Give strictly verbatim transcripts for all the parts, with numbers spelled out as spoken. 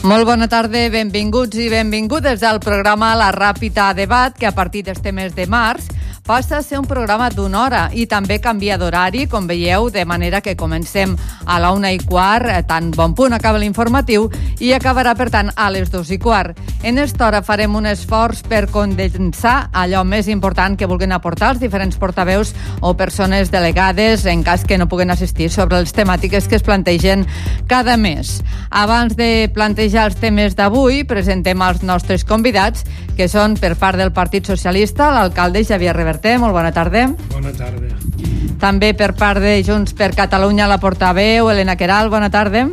Molt bona tarda, benvinguts i benvingudes al programa La Ràpita Debat, que a partir d'este mes de març passa a ser un programa d'una hora i també canvia d'horari, com veieu, de manera que comencem a la una i quart, tan bon punt acaba l'informatiu, i acabarà, per tant, a les dos i quart. En esta hora farem un esforç per condensar allò més important que vulguin aportar els diferents portaveus o persones delegades en cas que no puguen assistir sobre les temàtiques que es plantegen cada mes. Abans de plantejar els temes d'avui, presentem els nostres convidats, que són per part del Partit Socialista, l'alcalde Xavier Reverter. Molt bona tarda. Bona tarda. També per part de Junts per Catalunya, la portaveu Elena Queralt. Bona tarda.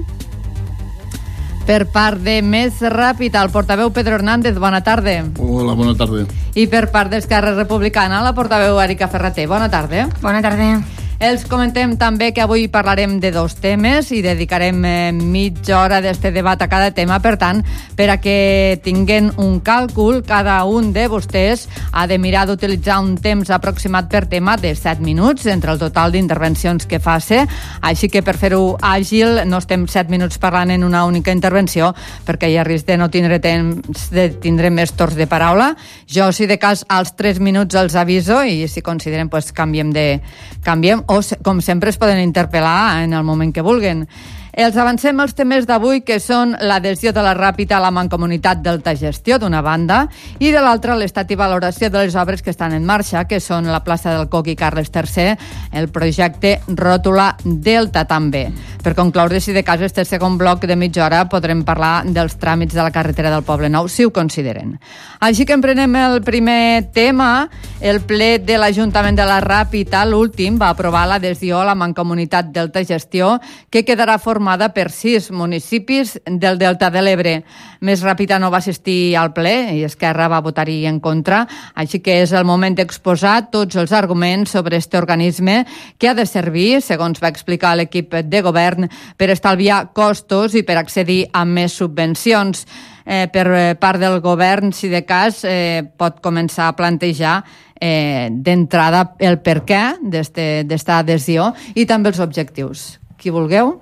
Per part de Més Ràpid, el portaveu Pedro Hernández. Bona tarda. Hola, bona tarda. I per part d'Esquerra Republicana, la portaveu Erika Ferrater. Bona tarda. Bona tarda. Els comentem també que avui parlarem de dos temes i dedicarem eh, mitja hora d'este debat a cada tema. Per tant, per a que tinguen un càlcul, cada un de vostès ha de mirar d'utilitzar un temps aproximat per tema de set minuts entre el total d'intervencions que faci. Així que per fer-ho àgil no estem set minuts parlant en una única intervenció, perquè hi ha risc de no tindre temps, de tindre més torns de paraula. Jo, si de cas, als tres minuts els aviso i si consideren, pues, canviem de... canviem o, com sempre, es poden interpel·lar en el moment que vulguin. Els avancem els temes d'avui, que són l'adhesió de la Ràpita a la Mancomunitat Delta Gestió, d'una banda, i de l'altra, l'estat i valoració de les obres que estan en marxa, que són la plaça del Coc i Carles tercer, el projecte Ròtula Delta, també. Per concloure, si de cas, este segon bloc de mitja hora podrem parlar dels tràmits de la carretera del Poble Nou, si ho consideren. Així que emprenem el primer tema. El ple de l'Ajuntament de la Ràpita, l'últim, va aprovar l'adhesió a la Mancomunitat Delta Gestió, que quedarà formada per sis municipis del Delta de l'Ebre. Més Ràpita no va assistir al ple i Esquerra va votar-hi en contra, així que és el moment d'exposar tots els arguments sobre este organisme que ha de servir, segons va explicar l'equip de govern, per estalviar costos i per accedir a més subvencions. Eh, per part del govern, si de cas, eh, pot començar a plantejar eh, d'entrada el per què d'esta adhesió i també els objectius. Qui vulgueu?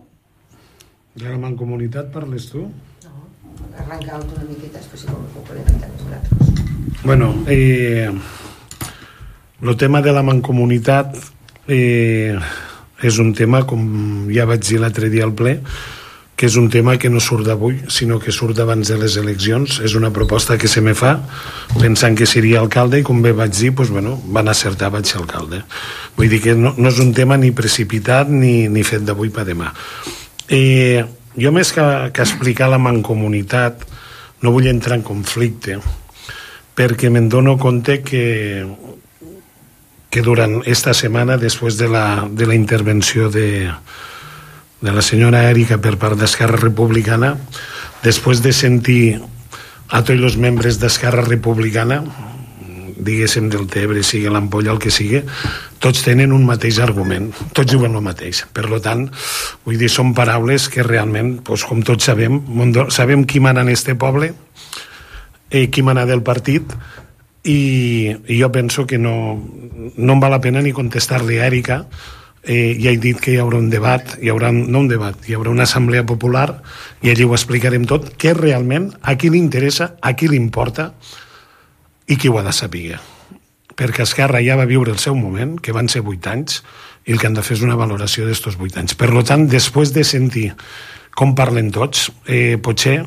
De la Mancomunitat parles tu? No, arrencar una miqueta, després si ho podem entrar nosaltres. Bueno, eh, el tema de la Mancomunitat eh, és un tema, com ja vaig dir l'altre dia al ple, que és un tema que no surt d'avui, sinó que surt abans de les eleccions. És una proposta que se me fa pensant que seria alcalde i, com bé vaig dir, pues, bueno, van acertar, vaig ser alcalde. Vull dir que no, no és un tema ni precipitat ni, ni fet d'avui per demà. Eh, jo, més que, que explicar la Mancomunitat, no vull entrar en conflicte, perquè me'n dono compte que, que durant esta setmana, després de la, de la intervenció de, de la senyora Erika per part d'Esquerra Republicana, després de sentir a tots els membres d'Esquerra Republicana, diguéssim del Tebre, sigui l'Ampolla, el que sigui, tots tenen un mateix argument, tots diuen el mateix. Per tant, vull dir, són paraules que realment, doncs, com tots sabem, sabem qui mana en este poble, eh, qui mana del partit, i, i jo penso que no, no em val la pena ni contestar-li a Erika. Eh, ja he dit que hi haurà un debat, hi haurà, no un debat, hi haurà una assemblea popular i allí ho explicarem tot, que realment a qui li interessa, a qui li importa i qui ho ha de saber. Perquè Esquerra ja va viure el seu moment, que van ser vuit anys, i el que han de fer és una valoració d'estos vuit anys. Per tant, després de sentir com parlen tots, eh, potser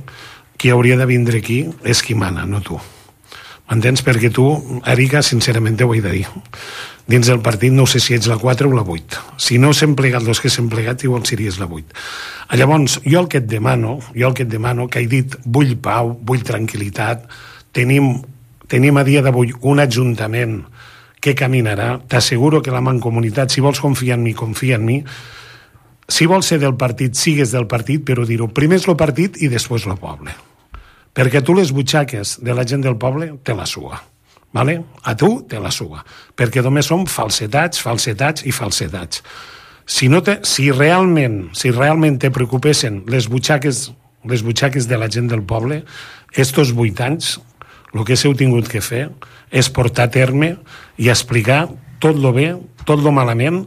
qui hauria de vindre aquí és qui mana, no tu. M'entens? Perquè tu, Erika, sincerament ho he de dir. Dins del partit no sé si ets la quatre o la vuit. Si no s'hem plegat els que s'hem plegat, igual series la vuit. Llavors, jo el que et demano, jo el que et demano, que he dit, vull pau, vull tranquil·litat, tenim, tenim a dia d'avui un ajuntament que caminarà, t'asseguro que la Mancomunitat, si vols confiar en mi, confia en mi, si vols ser del partit, sigues del partit, però dir-ho, primer és el partit i després el poble. Perquè tu les butxaques de la gent del poble te la suga. Vale? A tu te la suga, perquè només són falsetats, falsetats i falsetats. Si, no te, si, realment, si realment te preocupessin les butxaques, les butxaques de la gent del poble, estos vuit anys, el que s'heu tingut que fer és portar a terme i explicar tot lo bé, tot lo malament.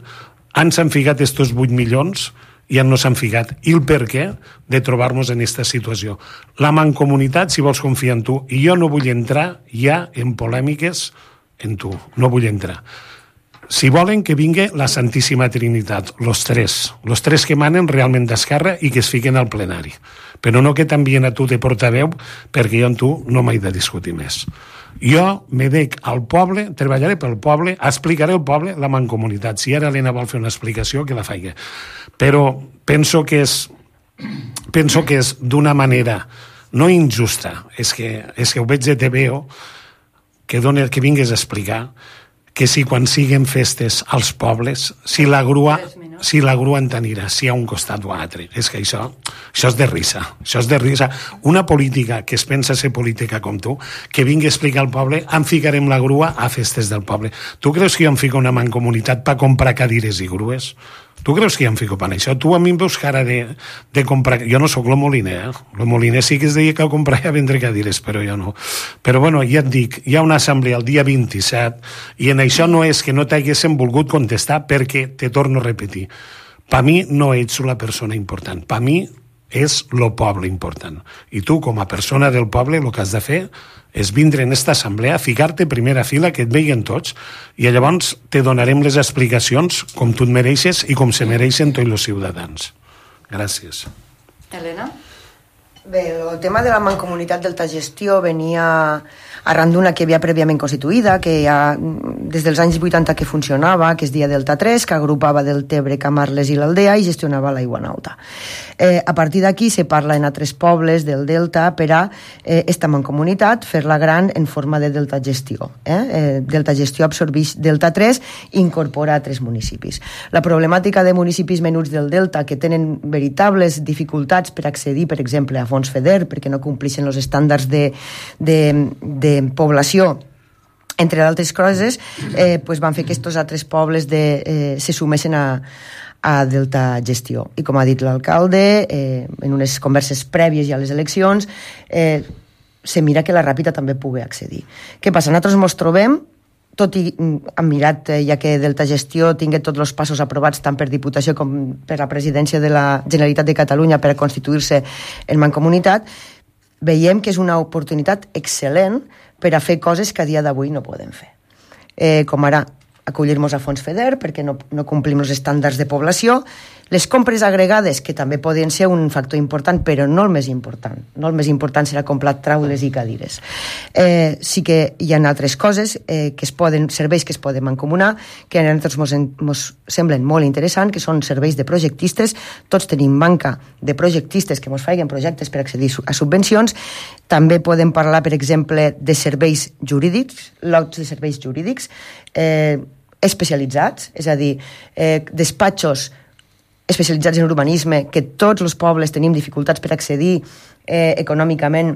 Ens han ficat estos vuit milions ja no s'han ficat. I el per què de trobar-nos en aquesta situació. La mancomunitat, si vols, confia en tu. I jo no vull entrar ja en polèmiques en tu. No vull entrar. Si volen que vingui la Santíssima Trinitat, los tres, los tres que manen realment d'Esquerra i que es fiquen al plenari. Però no que t'envien a tu de portaveu, perquè jo amb tu no m'he de discutir més. Jo me dec al poble, treballaré pel poble, explicaré al poble la mancomunitat. Si ara l'Helena vol fer una explicació, que la faci. Però penso que és, penso que és d'una manera no injusta, és que, és que ho veig de T V O, que, doni, que vingues a explicar que si quan siguen festes als pobles, si la grua, si la grua en t'anirà, si a un costat o a altre. És que això, això és de risa. Això és de risa. Una política que es pensa ser política com tu, que vingui a explicar al poble, em ficarem la grua a festes del poble. Tu creus que jo em fico una mancomunitat per comprar cadires i grues? Tu creus que jo em fico per això? Tu a mi em veus cara de, de comprar... Jo no sóc lo Moliner, eh? Lo Moliner sí que es deia que ho comprava a vendre cadires, però jo no. Però bueno, ja et dic, hi ha una assemblea el dia vint-i-set i en això no és que no t'haguéssim volgut contestar perquè, te torno a repetir, per mi no ets la persona important, per mi és lo poble important. I tu, com a persona del poble, el que has de fer és vindre en aquesta assemblea, ficar-te a primera fila, que et veien tots, i llavors te donarem les explicacions com tu et mereixes i com se mereixen tots els ciutadans. Gràcies. Helena? Bé, el tema de la mancomunitat d'Altagestió venia arran d'una que havia prèviament constituïda, que ja des dels anys vuitanta que funcionava, que es deia Delta tres, que agrupava Deltebre, Camarles i l'Aldea i gestionava l'aigua nauta. Eh, a partir d'aquí se parla en altres pobles del Delta per a eh, esta mancomunitat fer-la gran en forma de Delta Gestió. Eh? Eh, Delta Gestió absorbeix Delta tres i incorpora altres municipis. La problemàtica de municipis menuts del Delta que tenen veritables dificultats per accedir, per exemple, a fons FEDER, perquè no compleixen els estàndards de, de, de població, entre altres coses, eh, pues van fer que aquests altres pobles de, eh, se sumessin a, a Delta Gestió. I com ha dit l'alcalde, eh, en unes converses prèvies ja a les eleccions, eh, se mira que la Ràpita també pugui accedir. Què passa? Nosaltres ens trobem, tot i hem mirat, eh, ja que Delta Gestió tingui tots els passos aprovats tant per Diputació com per la presidència de la Generalitat de Catalunya per a constituir-se en mancomunitat, veiem que és una oportunitat excel·lent per a fer coses que a dia d'avui no podem fer. Eh, com ara, acollir-nos a fons FEDER perquè no, no complim els estàndards de població, les compres agregades, que també podien ser un factor important, però no el més important. No el més important serà comprar traules i cadires. Eh, sí que hi ha altres coses, eh, que es poden, serveis que es poden mancomunar, que a nosaltres ens semblen molt interessants, que són serveis de projectistes. Tots tenim manca de projectistes que ens facin projectes per accedir a subvencions. També podem parlar, per exemple, de serveis jurídics, lots de serveis jurídics eh, especialitzats, és a dir, eh, despatxos especialitzats en urbanisme, que tots els pobles tenim dificultats per accedir eh, econòmicament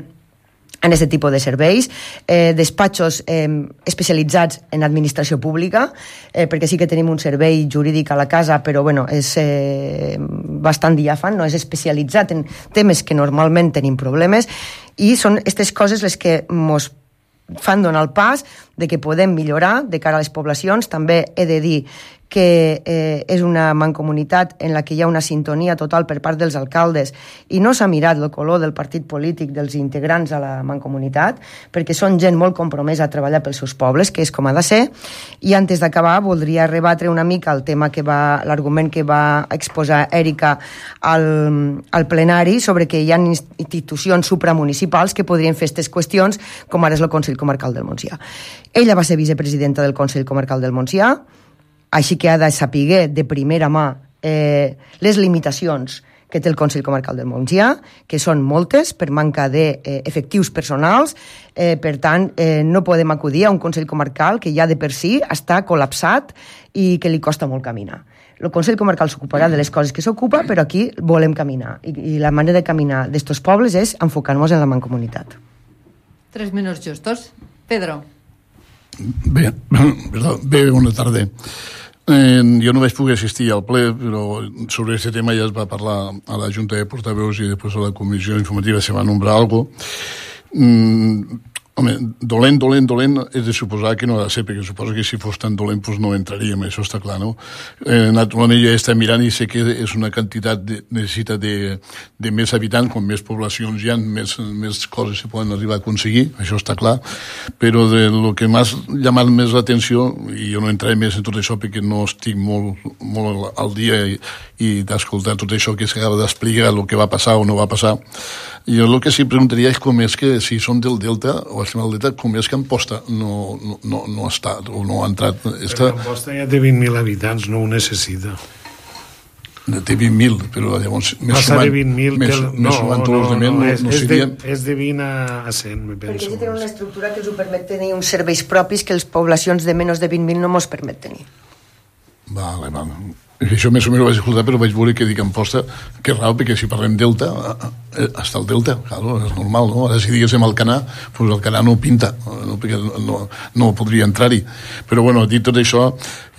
en aquest tipus de serveis, eh, despatxos eh, especialitzats en administració pública, eh, perquè sí que tenim un servei jurídic a la casa, però bueno, és eh, bastant diàfan, no és especialitzat en temes que normalment tenim problemes, i són aquestes coses les que ens fan donar el pas de que podem millorar de cara a les poblacions. També he de dir que eh, és una mancomunitat en la que hi ha una sintonia total per part dels alcaldes i no s'ha mirat el color del partit polític dels integrants a la mancomunitat, perquè són gent molt compromesa a treballar pels seus pobles, que és com ha de ser. I antes d'acabar voldria rebatre una mica el tema que va, l'argument que va exposar Èrica al, al plenari sobre que hi ha institucions supramunicipals que podrien fer aquestes qüestions, com ara és el Consell Comarcal del Montsià. Ella va ser vicepresidenta del Consell Comarcal del Montsià, així que ha de saber de primera mà eh, les limitacions que té el Consell Comarcal del Montsià, que són moltes per manca d'efectius eh, personals, eh, per tant, eh, no podem acudir a un Consell Comarcal que ja de per si està col·lapsat i que li costa molt caminar. El Consell Comarcal s'ocuparà de les coses que s'ocupa, però aquí volem caminar, i, i la manera de caminar d'estos pobles és enfocar-nos en la mancomunitat. Tres minuts justos. Pedro. Bé, perdó, bé, bona tarda. Eh, jo no vaig poder assistir al ple, però sobre aquest tema ja es va parlar a la Junta de Portaveus i després a la comissió informativa se va nombrar alguna cosa. Mm, Home, dolent, dolent, dolent, és de suposar que no ha de ser, perquè suposo que si fos tan dolent doncs no entraríem, això està clar, no? Eh, naturalment jo he estat mirant i sé que és una quantitat, de, necessita de, de més habitants, com més poblacions hi ha, més, més coses se poden arribar a aconseguir, això està clar, però de lo que m'ha llamat més l'atenció, i jo no entraré més en tot això perquè no estic molt, molt al dia i, i d'escoltar tot això que s'acaba d'explicar, el que va passar o no va passar, jo el que sí preguntaria és com és que si són del Delta o estem al Delta, com és que Amposta no, no, no, no ha estat o no ha entrat. Està... Amposta ja té vint mil habitants, no ho necessita. Té vint mil, però llavors... Passa de vint mil... Més, no, més no, no, no, no, és, no és, seria... de, és de vint a cent, me penso. Perquè ja tenen una estructura que els ho permet tenir uns serveis propis que les poblacions de menys de vint mil no mos permet tenir. Vale, vale. Això més o menys ho vaig escoltar, però vaig veure que dic Amposta, que raro, perquè si parlem Delta, està el Delta, claro, és normal, no? Ara si diguéssim Alcanar, doncs Alcanar no pinta, no, perquè no, no podria entrar-hi. Però, bueno, dit tot això,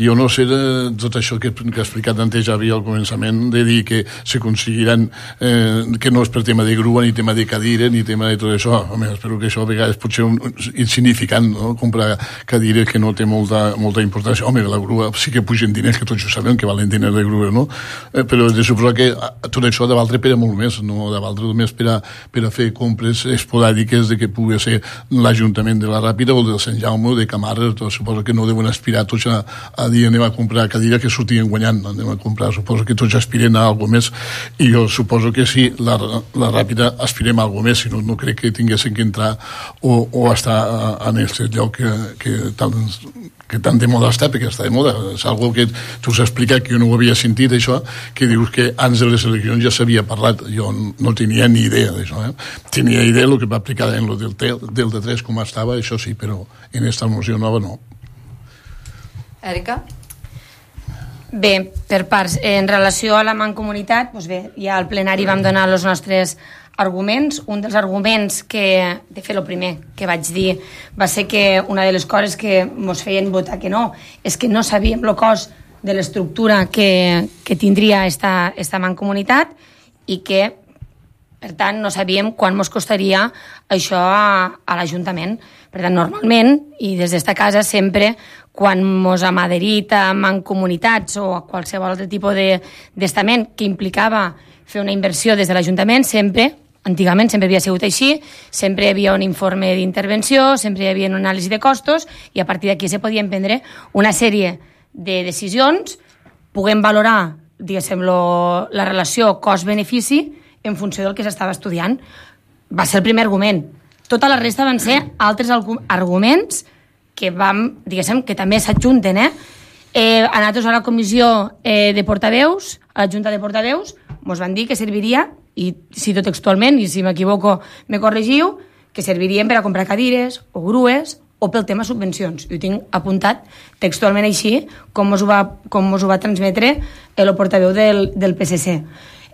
jo no sé de tot això que, que ha explicat antes Javi al començament, de dir que s'aconseguiran, eh, que no és per tema de grua, ni tema de cadira, ni tema de tot això. Home, espero que això a vegades pot ser un, insignificant, no? Comprar cadires que no té molta, molta importància. Home, la grua sí que pugen diners, que tots ho sabem, que valen diners de grua, no? Eh, però de suposar que tot això de valdre per a molt més, no de valdre només per a, per a fer compres esporàdiques de que pugui ser l'Ajuntament de la Ràpida o del Sant Jaume o de Camarles, suposo que no deuen aspirar tots a, a dir anem a comprar cadira que sortien guanyant, anem a comprar, suposo que tots aspiren a alguna més, i jo suposo que sí, la, la Ràpida aspirem a alguna més, si no, no crec que tinguessin que entrar o, o estar en aquest lloc que, que tant que tant de moda està, perquè està de moda. És algo que tu has explicat, que jo no ho havia sentit, això, que dius que abans de les eleccions ja s'havia parlat. Jo no tenia ni idea d'això. Eh? Tenia idea del que va aplicar en el Delta tres, com estava, això sí, però en aquesta moció nova no. Èrica? Bé, per parts, en relació a la mancomunitat, doncs bé, ja al plenari vam donar els nostres arguments. Un dels arguments que, de fet, el primer que vaig dir va ser que una de les coses que ens feien votar que no és que no sabíem el cost de l'estructura que, que tindria esta, esta mancomunitat i que, per tant, no sabíem quan ens costaria això a, a l'Ajuntament. Per tant, normalment, i des d'esta casa, sempre, quan ens hem adherit a mancomunitats o a qualsevol altre tipus d'estament que implicava fer una inversió des de l'Ajuntament, sempre, antigament sempre havia sigut així, sempre hi havia un informe d'intervenció, sempre hi havia una anàlisi de costos i a partir d'aquí se podien prendre una sèrie de decisions, puguem valorar, diguéssim, lo, la relació cost-benefici en funció del que s'estava estudiant. Va ser el primer argument. Tota la resta van ser altres arguments que vam, diguéssim, que també s'adjunten, eh? eh? A nosaltres a la comissió eh, de portaveus, a la Junta de Portaveus, ens van dir que serviria, i cito textualment, i si m'equivoco me corregiu, que servirien per a comprar cadires o grues o pel tema subvencions. I ho tinc apuntat textualment així, com us ho va, com us ho va transmetre el portaveu del, del P S C.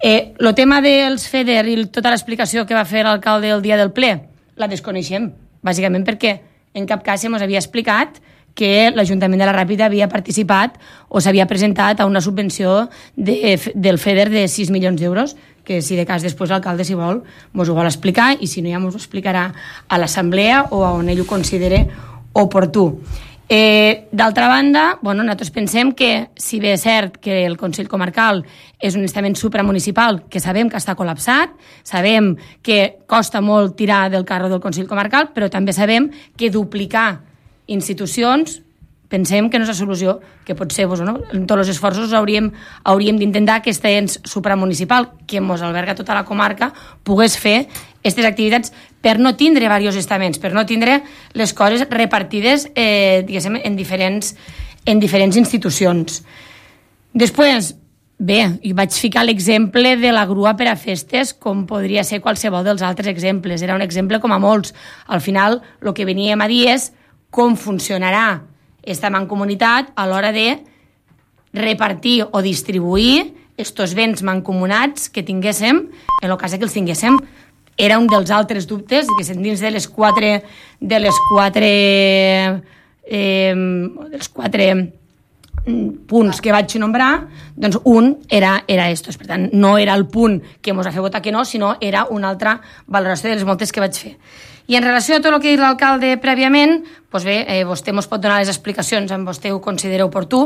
Eh, el tema dels FEDER i tota l'explicació que va fer l'alcalde el dia del ple, la desconeixem, bàsicament perquè en cap cas se mos havia explicat que l'Ajuntament de la Ràpida havia participat o s'havia presentat a una subvenció de, del FEDER de sis milions d'euros, que si de cas després l'alcalde, si vol, mos ho vol explicar i si no ja mos ho explicarà a l'assemblea o on ell ho considere oportú. Eh, D'altra banda, bueno, nosaltres pensem que si bé és cert que el Consell Comarcal és un estament supramunicipal que sabem que està col·lapsat, sabem que costa molt tirar del carro del Consell Comarcal, però també sabem que duplicar institucions pensem que no és la solució, que pot ser, doncs, no? En tots els esforços hauríem, hauríem d'intentar que aquest ens supramunicipal, que ens alberga tota la comarca, pogués fer aquestes activitats per no tindre diversos estaments, per no tindre les coses repartides eh, diguéssim, en diferents, en diferents institucions. Després, bé, hi vaig ficar l'exemple de la grua per a festes, com podria ser qualsevol dels altres exemples. Era un exemple com a molts. Al final, el que veníem a dir és com funcionarà esta mancomunitat a l'hora de repartir o distribuir estos béns mancomunats que tinguéssim, en el cas que els tinguéssim. Era un dels altres dubtes, que dins de les quatre, de les quatre, eh, dels quatre punts que vaig nombrar, doncs un era, era estos. Per tant, no era el punt que ens va fer votar que no, sinó era una altra valoració de les moltes que vaig fer. I en relació a tot el que ha dit l'alcalde prèviament, doncs bé, eh, vostè ens pot donar les explicacions on vostè ho considera oportú.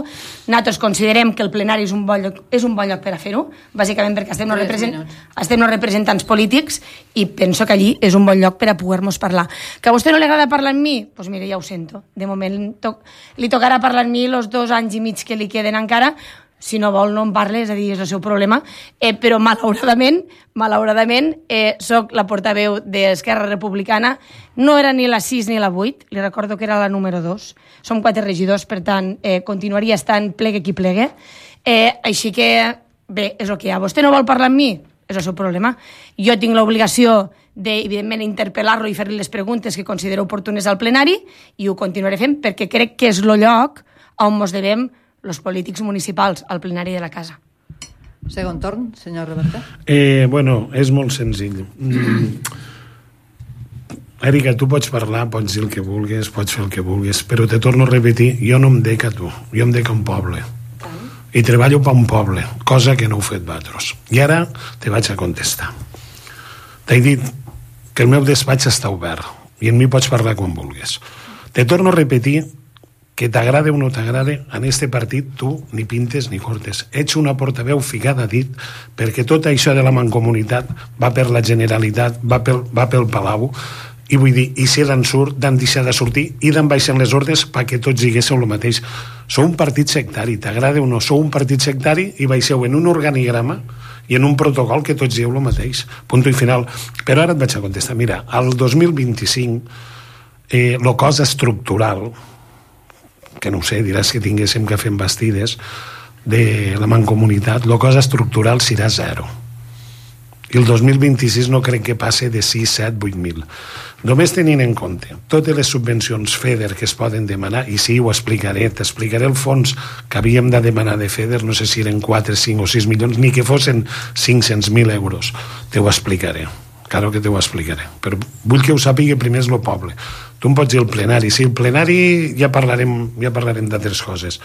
Nosaltres considerem que el plenari és un bon lloc, és un bon lloc per a fer-ho, bàsicament perquè estem els represent... representants polítics i penso que allí és un bon lloc per a poder-nos parlar. Que a vostè no li agrada parlar amb mi? Doncs mire, ja ho sento. De moment to... li tocarà parlar amb mi els dos anys i mig que li queden encara. Si no vol, no en parle, és a dir, és el seu problema. Eh, però, malauradament, malauradament, eh, soc la portaveu d'Esquerra Republicana. No era ni la sis ni la vuit, li recordo que era la número dos. Som quatre regidors, per tant, eh, continuaria estant plegue qui plegue. Eh, així que, bé, és el que hi ha. Vostè no vol parlar amb mi? És el seu problema. Jo tinc l'obligació de, evidentment, interpel·lar-lo i fer-li les preguntes que considero oportunes al plenari i ho continuaré fent perquè crec que és el lloc on ens devem els polítics municipals al plenari de la casa. Segon torn, senyor Roberta. Eh, bueno, és molt senzill. Mm. Èrica, tu pots parlar, pots dir el que vulguis, pots fer el que vulguis, però te torno a repetir, jo no em dec a tu, jo em dec a un poble. I treballo per un poble, cosa que no heu fet vosaltres. I ara te vaig a contestar. T'he dit que el meu despatx està obert i en mi pots parlar quan vulguis. Te torno a repetir que t'agrade o no t'agrade, en este partit tu ni pintes ni cortes. Ets una portaveu ficada a dit perquè tot això de la mancomunitat va per la Generalitat, va pel, va pel Palau, i vull dir, i si d'en surt, d'en deixar de sortir i d'en baixen les ordres perquè tots diguéssiu el mateix. Sou un partit sectari, t'agrada o no, sou un partit sectari i baixeu en un organigrama i en un protocol que tots dieu el mateix. Punt i final. Però ara et vaig a contestar. Mira, al dos mil vint-i-cinc eh, lo cosa estructural, que no ho sé, diràs que tinguéssim que fer bastides de la mancomunitat, la cosa estructural serà zero. I el dos mil vint-i-sis no crec que passe de sis, set, vuit mil. Només tenint en compte totes les subvencions FEDER que es poden demanar, i sí, ho explicaré, t'explicaré el fons que havíem de demanar de FEDER, no sé si eren quatre, cinc o sis milions, ni que fossin cinc-cents mil euros. Te ho explicaré. Claro que te ho explicaré. Però vull que ho sàpiga primer és el poble. Tu em pots dir el plenari. Sí, el plenari ja parlarem, ja parlarem d'altres coses.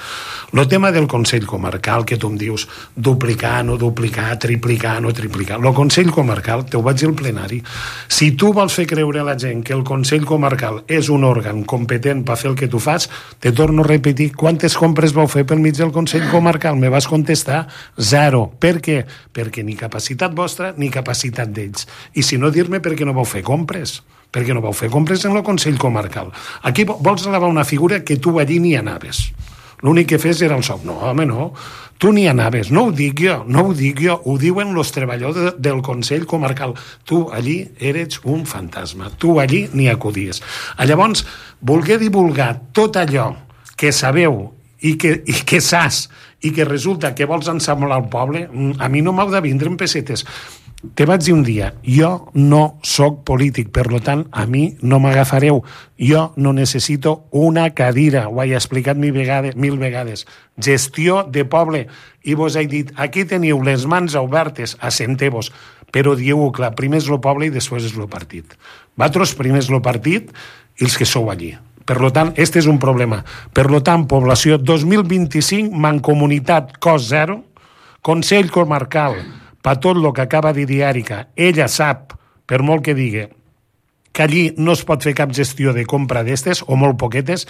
El tema del Consell Comarcal, que tu em dius duplicar, no duplicar, triplicar, no triplicar. El Consell Comarcal, te ho vaig dir al plenari. Si tu vols fer creure a la gent que el Consell Comarcal és un òrgan competent per fer el que tu fas, te torno a repetir, quantes compres vau fer pel mig del Consell Comarcal? Me vas contestar zero. Per què? Perquè ni capacitat vostra ni capacitat d'ells. I si no, dir-me per què no vau fer compres. Perquè no vau fer compres en el Consell Comarcal. Aquí vols elevar una figura que tu allí ni anaves. L'únic que fes era el sou. No, home, no. Tu ni anaves. No ho dic jo, no ho dic jo. Ho diuen els treballadors del Consell Comarcal. Tu allí eres un fantasma. Tu allí ni acudies. Llavors, voler divulgar tot allò que sabeu i que, i que saps i que resulta que vols ensamblar el poble, a mi no m'heu de vindre en pessetes. Te vaig dir un dia, jo no sóc polític, per lo tant, a mi no m'agafareu. Jo no necessito una cadira, ho he explicat mil vegades, mil vegades. Gestió de poble. I vos he dit, aquí teniu les mans obertes, assenteu-vos, però dieu-ho clar, primer és el poble i després és el partit. Vosaltres primer és el partit i els que sou allí. Per lo tant, este és un problema. Per lo tant, població dos mil vint-i-cinc, mancomunitat, cost zero, Consell Comarcal, per tot el que acaba de dir Èrica, ella sap, per molt que digui, que allí no es pot fer cap gestió de compra d'estes, o molt poquetes,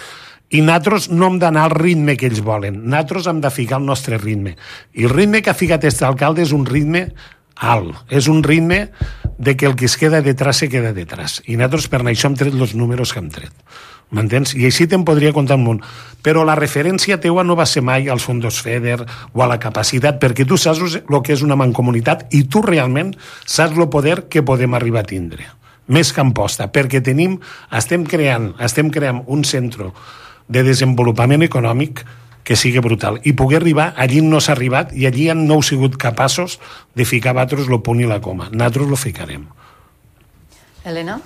i nosaltres no hem d'anar al ritme que ells volen. Nosaltres hem de ficar el nostre ritme. I el ritme que ha ficat aquest alcalde és un ritme alt. És un ritme de que el que es queda detrás se queda detrás. I nosaltres per això hem tret els números que hem tret. M'entens? I així te'n podria contar un munt. Però la referència teua no va ser mai als fons FEDER o a la capacitat, perquè tu saps el que és una mancomunitat i tu realment saps el poder que podem arribar a tindre. Més que amposta, perquè tenim, estem creant, estem creant un centre de desenvolupament econòmic que sigui brutal. I poder arribar allí no s'ha arribat i allí no heu sigut capaços de ficar vosaltres el punt i la coma. Nosaltres lo ficarem. Elena?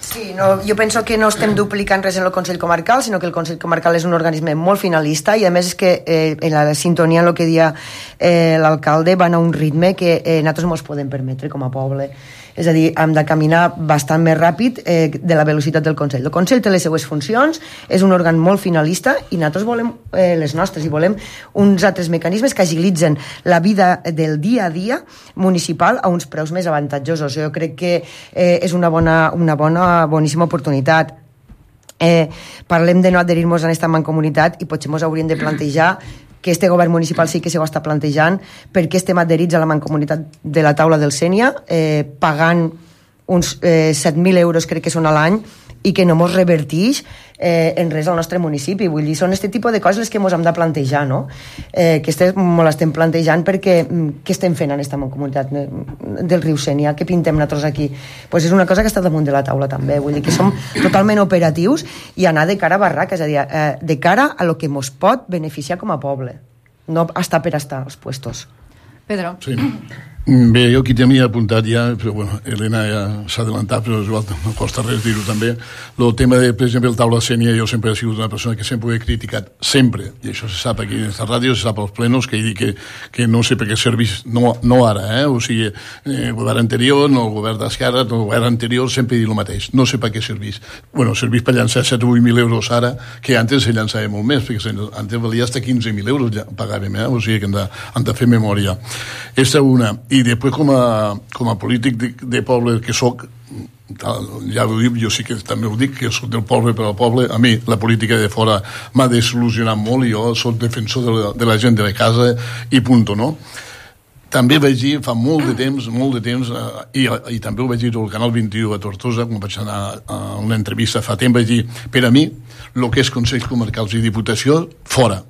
Sí, no, jo penso que no estem duplicant res en el Consell Comarcal, sinó que el Consell Comarcal és un organisme molt finalista i a més és que eh, en la sintonia en el que dia eh, l'alcalde van a un ritme que eh, nosaltres ens podem permetre com a poble. És a dir, hem de caminar bastant més ràpid eh, de la velocitat del Consell. El Consell té les seues funcions, és un òrgan molt finalista i nosaltres volem eh, les nostres i volem uns altres mecanismes que agilitzen la vida del dia a dia municipal a uns preus més avantatjosos. Jo crec que eh, és una bona, una bona, boníssima oportunitat. Eh, parlem de no adherir-nos a aquesta mancomunitat i potser ens hauríem de plantejar que este govern municipal sí que s'ho està plantejant perquè estem adherits a la mancomunitat de la taula del Sénia, eh, pagant uns eh, set mil euros crec que són a l'any i que no ens revertix eh, en res al nostre municipi. Vull dir, són aquest tipus de coses les que ens hem de plantejar, no? Eh, que estem, molt estem plantejant perquè què estem fent en aquesta comunitat del riu Sénia? Què pintem nosaltres aquí? Pues és una cosa que està damunt de la taula també. Vull dir que som totalment operatius i anar de cara a barraca, és a dir, eh, de cara a lo que ens pot beneficiar com a poble. No estar per estar als puestos. Pedro. Sí. Bé, jo aquí tenia apuntat ja, però bueno, Elena ja s'ha adelantat, però igual no costa res dir-ho també. El tema de, per exemple, el taula Sénia, jo sempre he sigut una persona que sempre ho he criticat, sempre, i això se sap aquí en aquesta ràdio, se sap als plenos, que he dit que, que no sé per què serveix, no, no ara, eh? O sigui, eh, el govern anterior, no el govern d'Esquerra, no el govern anterior, sempre he dit el mateix, no sé per què serveix. Bueno, serveix per llançar set o vuit mil euros ara, que antes se llançava molt més, perquè antes valia hasta quinze mil euros, ja pagàvem, eh? O sigui que hem de, hem de fer memòria. Esta una. I després com a, com a polític de, de poble que soc, ja ho dic, jo sí que també ho dic, que soc del poble per al poble, a mi la política de fora m'ha desil·lusionat molt i jo soc defensor de la, de la gent de la casa i punto, no? També vaig dir fa molt de temps, molt de temps, eh, i, i també ho vaig dir al Canal vint-i-u a Tortosa, quan vaig anar a una entrevista fa temps, vaig dir, per a mi, el que és Consells Comarcals i Diputació, fora.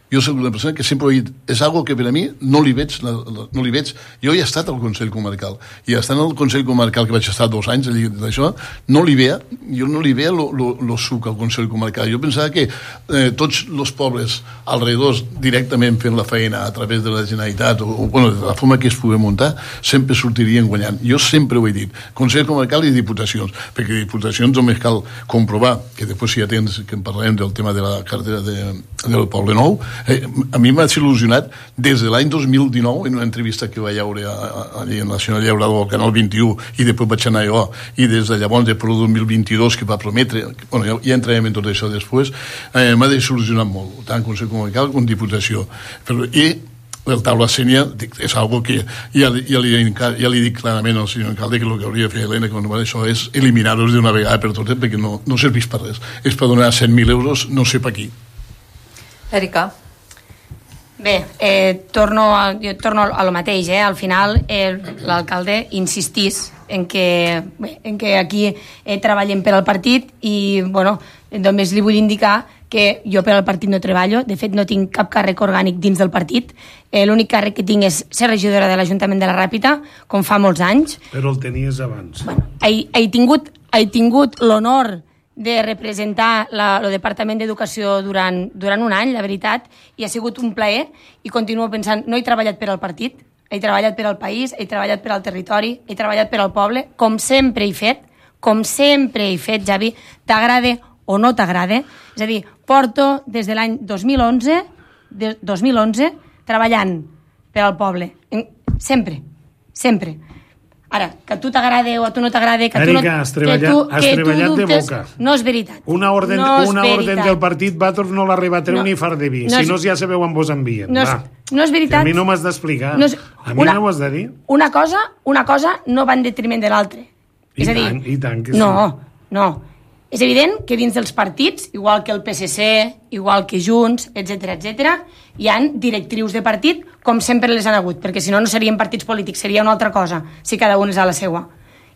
Jo soc una persona que sempre he dit, és algo que per a mi no li veig, la, la, no li veig. Jo he estat al Consell Comarcal, i estant al Consell Comarcal, que vaig estar dos anys d'això, no li veia, jo no li veia el suc al Consell Comarcal. Jo pensava que eh, tots els pobles alrededors, directament fent la feina a través de la Generalitat, o, o bueno, de la forma que es pugui muntar, sempre sortirien guanyant. Jo sempre ho he dit, Consell Comarcal i Diputacions, perquè Diputacions només cal comprovar, que després si ja tens, que en parlarem del tema de la cartera de, del Poble Nou. Eh, a mi m'ha il·lusionat des de l'any dos mil dinou, en una entrevista que vaig veure allà en la Nacional Llaurador al Canal vint-i-u, i després vaig anar jo, i des de llavors, de dos mil vint-i-dos, que va prometre, bueno, ja, ja entrarem en tot això després, eh, m'ha il·lusionat molt, tant Consell Comarcal com Diputació. Però, i el taula Sénia és algo que ja, ja, li, ja li dic clarament al senyor alcalde que el que hauria de fer Helena quan va això és eliminar-los d'una vegada per totes, perquè no, no serveix per res. És per donar cent mil euros, no sé per qui. Erika. Bé, eh, torno, a, jo torno a lo mateix, eh? Al final eh, l'alcalde insistís en que, bé, en que aquí eh, treballem per al partit i, bueno, només li vull indicar que jo per al partit no treballo, de fet no tinc cap càrrec orgànic dins del partit, eh, l'únic càrrec que tinc és ser regidora de l'Ajuntament de la Ràpita, com fa molts anys. Però el tenies abans. Bueno, he, he tingut, he tingut l'honor de representar la, el Departament d'Educació durant, durant un any, la veritat, i ha sigut un plaer, i continuo pensant, no he treballat per al partit, he treballat per al país, he treballat per al territori, he treballat per al poble, com sempre he fet, com sempre he fet, Javi, t'agrade o no t'agrade, és a dir, porto des de l'any dos mil onze, de, dos mil onze, treballant per al poble, sempre, sempre. Ara, que a tu t'agrade o a tu no t'agrade, que, Erika, tu no, has treballat, que tu, has que treballat tu dubtes, de boca. No és veritat. Una orden, no una orden del partit Bator no l'arriba a treure no, ni far de vi. No si no, ja sabeu on vos envien. No és, no és veritat. A mi no m'has d'explicar. No a mi una, no m'ho has de dir. Una cosa, una cosa no va en detriment de l'altra. I, tant, I tant que sí. No, no. És evident que dins dels partits, igual que el P S C, igual que Junts, etcètera, etcètera, hi han directrius de partit com sempre les han hagut, perquè si no, no serien partits polítics, seria una altra cosa, si cada un és a la seua.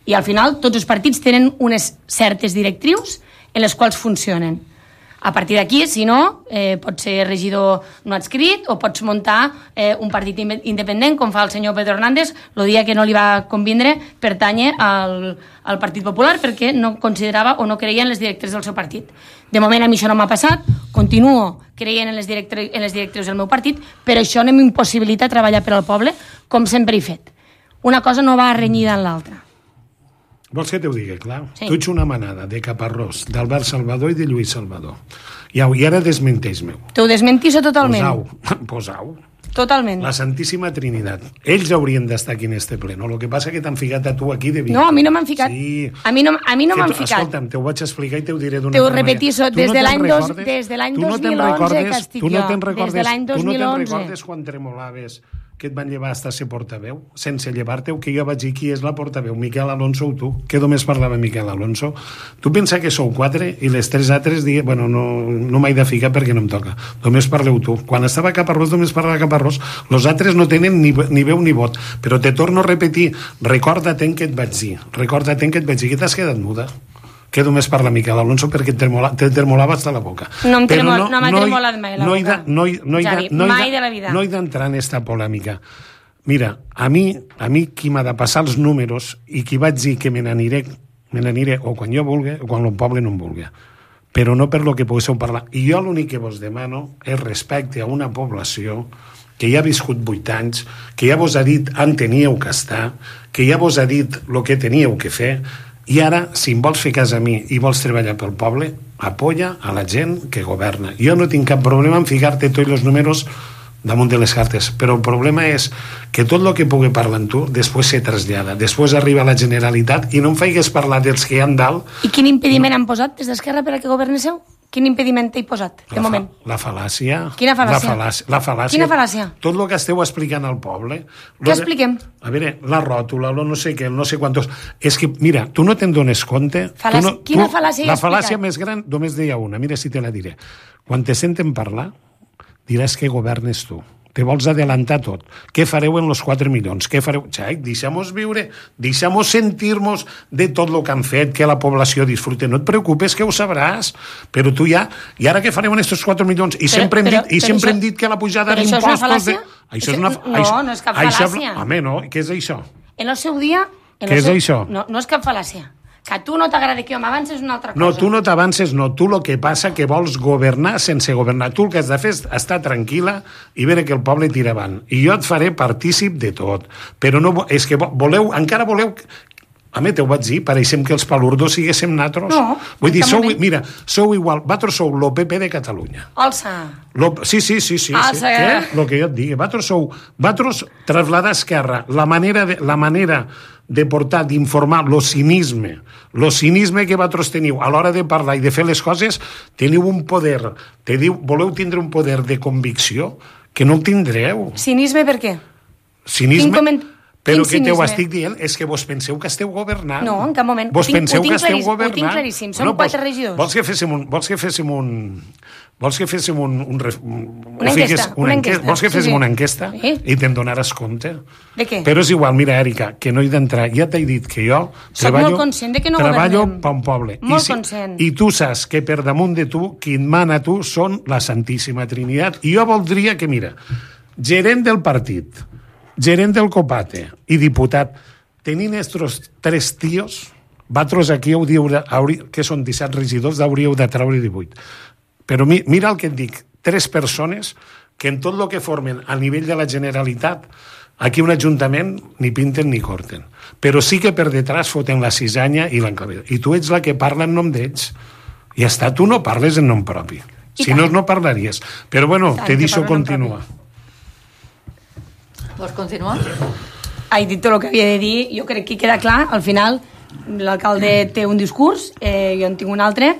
I al final, tots els partits tenen unes certes directrius en les quals funcionen. A partir d'aquí, si no, eh, pots ser regidor no adscrit o pots muntar eh, un partit independent, com fa el senyor Pedro Hernández, el dia que no li va convindre pertànyer al, al Partit Popular perquè no considerava o no creia en les directrius del seu partit. De moment a mi això no m'ha passat, continuo creient en les, directri en les directrius del meu partit, però això no m'impossibilita treballar per al poble com sempre he fet. Una cosa no va renyida en l'altra. Vols que t'ho digui, clar? Sí. Tu ets una manada de Caparrós, d'Albert Salvador i de Lluís Salvador. I, i ara desmenteix-meu. T'ho desmentixo totalment. Posau, posau. Totalment. La Santíssima Trinitat. Ells haurien d'estar aquí en este ple, no? El que passa que t'han ficat a tu aquí de Vic. No, a mi no m'han ficat. Sí. A mi no, a mi no Que m'han tu- ficat. Escolta'm, t'ho vaig explicar i t'ho diré d'una T'ho altra manera. repetixo, Tu des no de te'n l'any dos- recordes? des de l'any Tu no dos te'n mil onze recordes- que estic tu no jo. te'n Des recordes- de l'any Tu no dos mil te'n onze. recordes quan tremolaves que et van llevar hasta ser portaveu, sense llevar-te, que jo vaig dir qui és la portaveu, Miquel Alonso o tu, que només parlava Miquel Alonso. Tu pensa que sou quatre i les tres altres diuen, bueno, no, no m'he de ficar perquè no em toca, només parleu tu. Quan estava a Caparrós només parlava Caparrós, els altres no tenen ni, ni veu ni vot, però te torno a repetir, recorda't en què et vaig dir, recorda't en què et vaig dir, que t'has quedat muda. Que només parla Miquel Alonso perquè et tremola, te tremolava hasta la boca. No m'ha Però tremol, no, m'ha no hi- tremolat mai la no hi boca. de- no hi- no hi de- Xavi, no hi de- mai de la vida. No he d'entrar en esta polèmica. Mira, a mi, a mi qui m'ha de passar els números i qui vaig dir que me n'aniré, me n'aniré o quan jo vulgui o quan el poble no em vulgui. Però no per lo que poguéssiu parlar. I jo l'únic que vos demano és respecte a una població que ja ha viscut vuit anys, que ja vos ha dit on teníeu que estar, que ja vos ha dit el que teníeu que fer, i ara, si em vols fer cas a mi i vols treballar pel poble, apoya a la gent que governa. Jo no tinc cap problema en ficar-te tots els números damunt de les cartes, però el problema és que tot el que pugui parlar amb tu després se trasllada, després arriba a la Generalitat i no em faigues parlar dels que hi ha dalt. I quin impediment han posat des d'Esquerra per a que governéssiu? Quin impediment t'he posat, de la, moment? fa, la fal·làcia. Quina fal·làcia? La fal·làcia, la fal·làcia. Quina fal·làcia? Tot el que esteu explicant al poble. Què expliquem? A veure, la ròtula, lo no sé què, el no sé quantos... És que, mira, tu no te'n dones compte... Fal·làcia- tu no, quina tu, fal·làcia he La explicat? fal·làcia més gran, només deia una, mira si te la diré. Quan te senten parlar, diràs que governes tu. Te vols adelantar tot. Què fareu en els quatre milions? Què fareu? Xai, deixa'm-nos viure, deixa'm-nos sentir-nos de tot el que han fet, que la població disfrute. No et preocupes, que ho sabràs. Però tu ja... I ara què fareu en aquests quatre milions? I Però- sempre hem però- dit, i però sempre això- hem dit que la pujada però això és una d'impostos... De... fal·làcia? Això és una... No, això- no és cap això- fal·làcia. Home, no, què és això? En el seu dia... En Què el és seu... això? No, no és cap fal·làcia. Que a tu no t'agrada que jo m'avances una altra cosa. No, tu no t'avances, no. Tu el que passa que vols governar sense governar. Tu el que has de fer és estar tranquil·la i veure que el poble tira avant. I jo et faré partícip de tot. Però no, vo- és que vo- voleu, encara voleu... A mi t'ho vaig dir, pareixem que els palurdos siguéssim natros. No, Vull dir, en cap sou, moment. mira, sou igual, vosaltres sou lo P P de Catalunya. Alça. Lo, sí, sí, sí, sí. Ah, sí. sí. Què? Lo que jo et digui. Vosaltres sou... Vosaltres trasladar a Esquerra la manera de, la manera de portar, d'informar, lo cinisme, lo cinisme que vosaltres teniu a l'hora de parlar i de fer les coses, teniu un poder, te diu, voleu tindre un poder de convicció que no el tindreu. Cinisme per què? Cinisme... Quin coment- Però quin que t'ho cinisme? estic dient és que vos penseu que esteu governant. No, en cap moment. Vos Ho tinc- penseu ho tinc que esteu claríssim, ho governant. tinc claríssim. Som quatre regidors. Vols que féssim un... Vols que féssim un... Vols que féssim un... un, ref- un Una ho fiques- enquesta, una enquesta. Vols que Sí, féssim sí. una enquesta? Sí. I te'n donaràs compte. De què? Però és igual, mira, Èrica, que no he d'entrar. Ja t'he dit que jo Soc treballo, molt conscient de que no treballo governem. per un poble. Molt I, si, conscient. I tu saps que per damunt de tu, qui et mana a tu són la Santíssima Trinitat. I jo voldria que, mira, gerent del partit, gerent del Copate i diputat, tenint estos tres tios, vosaltres aquí hauríeu de, haurí, que són disset regidors, hauríeu de treure divuit. Però mi, mira el que et dic, tres persones que en tot el que formen a nivell de la Generalitat, aquí un ajuntament ni pinten ni corten. Però sí que per detrás foten la cisanya i l'encabella. I tu ets la que parla en nom d'ells. I ja està, tu no parles en nom propi. I Si tant. no, no parlaries. Però bueno, tant te que deixo parlo en nom continuar. Vols continuar? Ha dit tot el que havia de dir. Jo crec que queda clar. Al final, l'alcalde té un discurs, eh, jo en tinc un altre.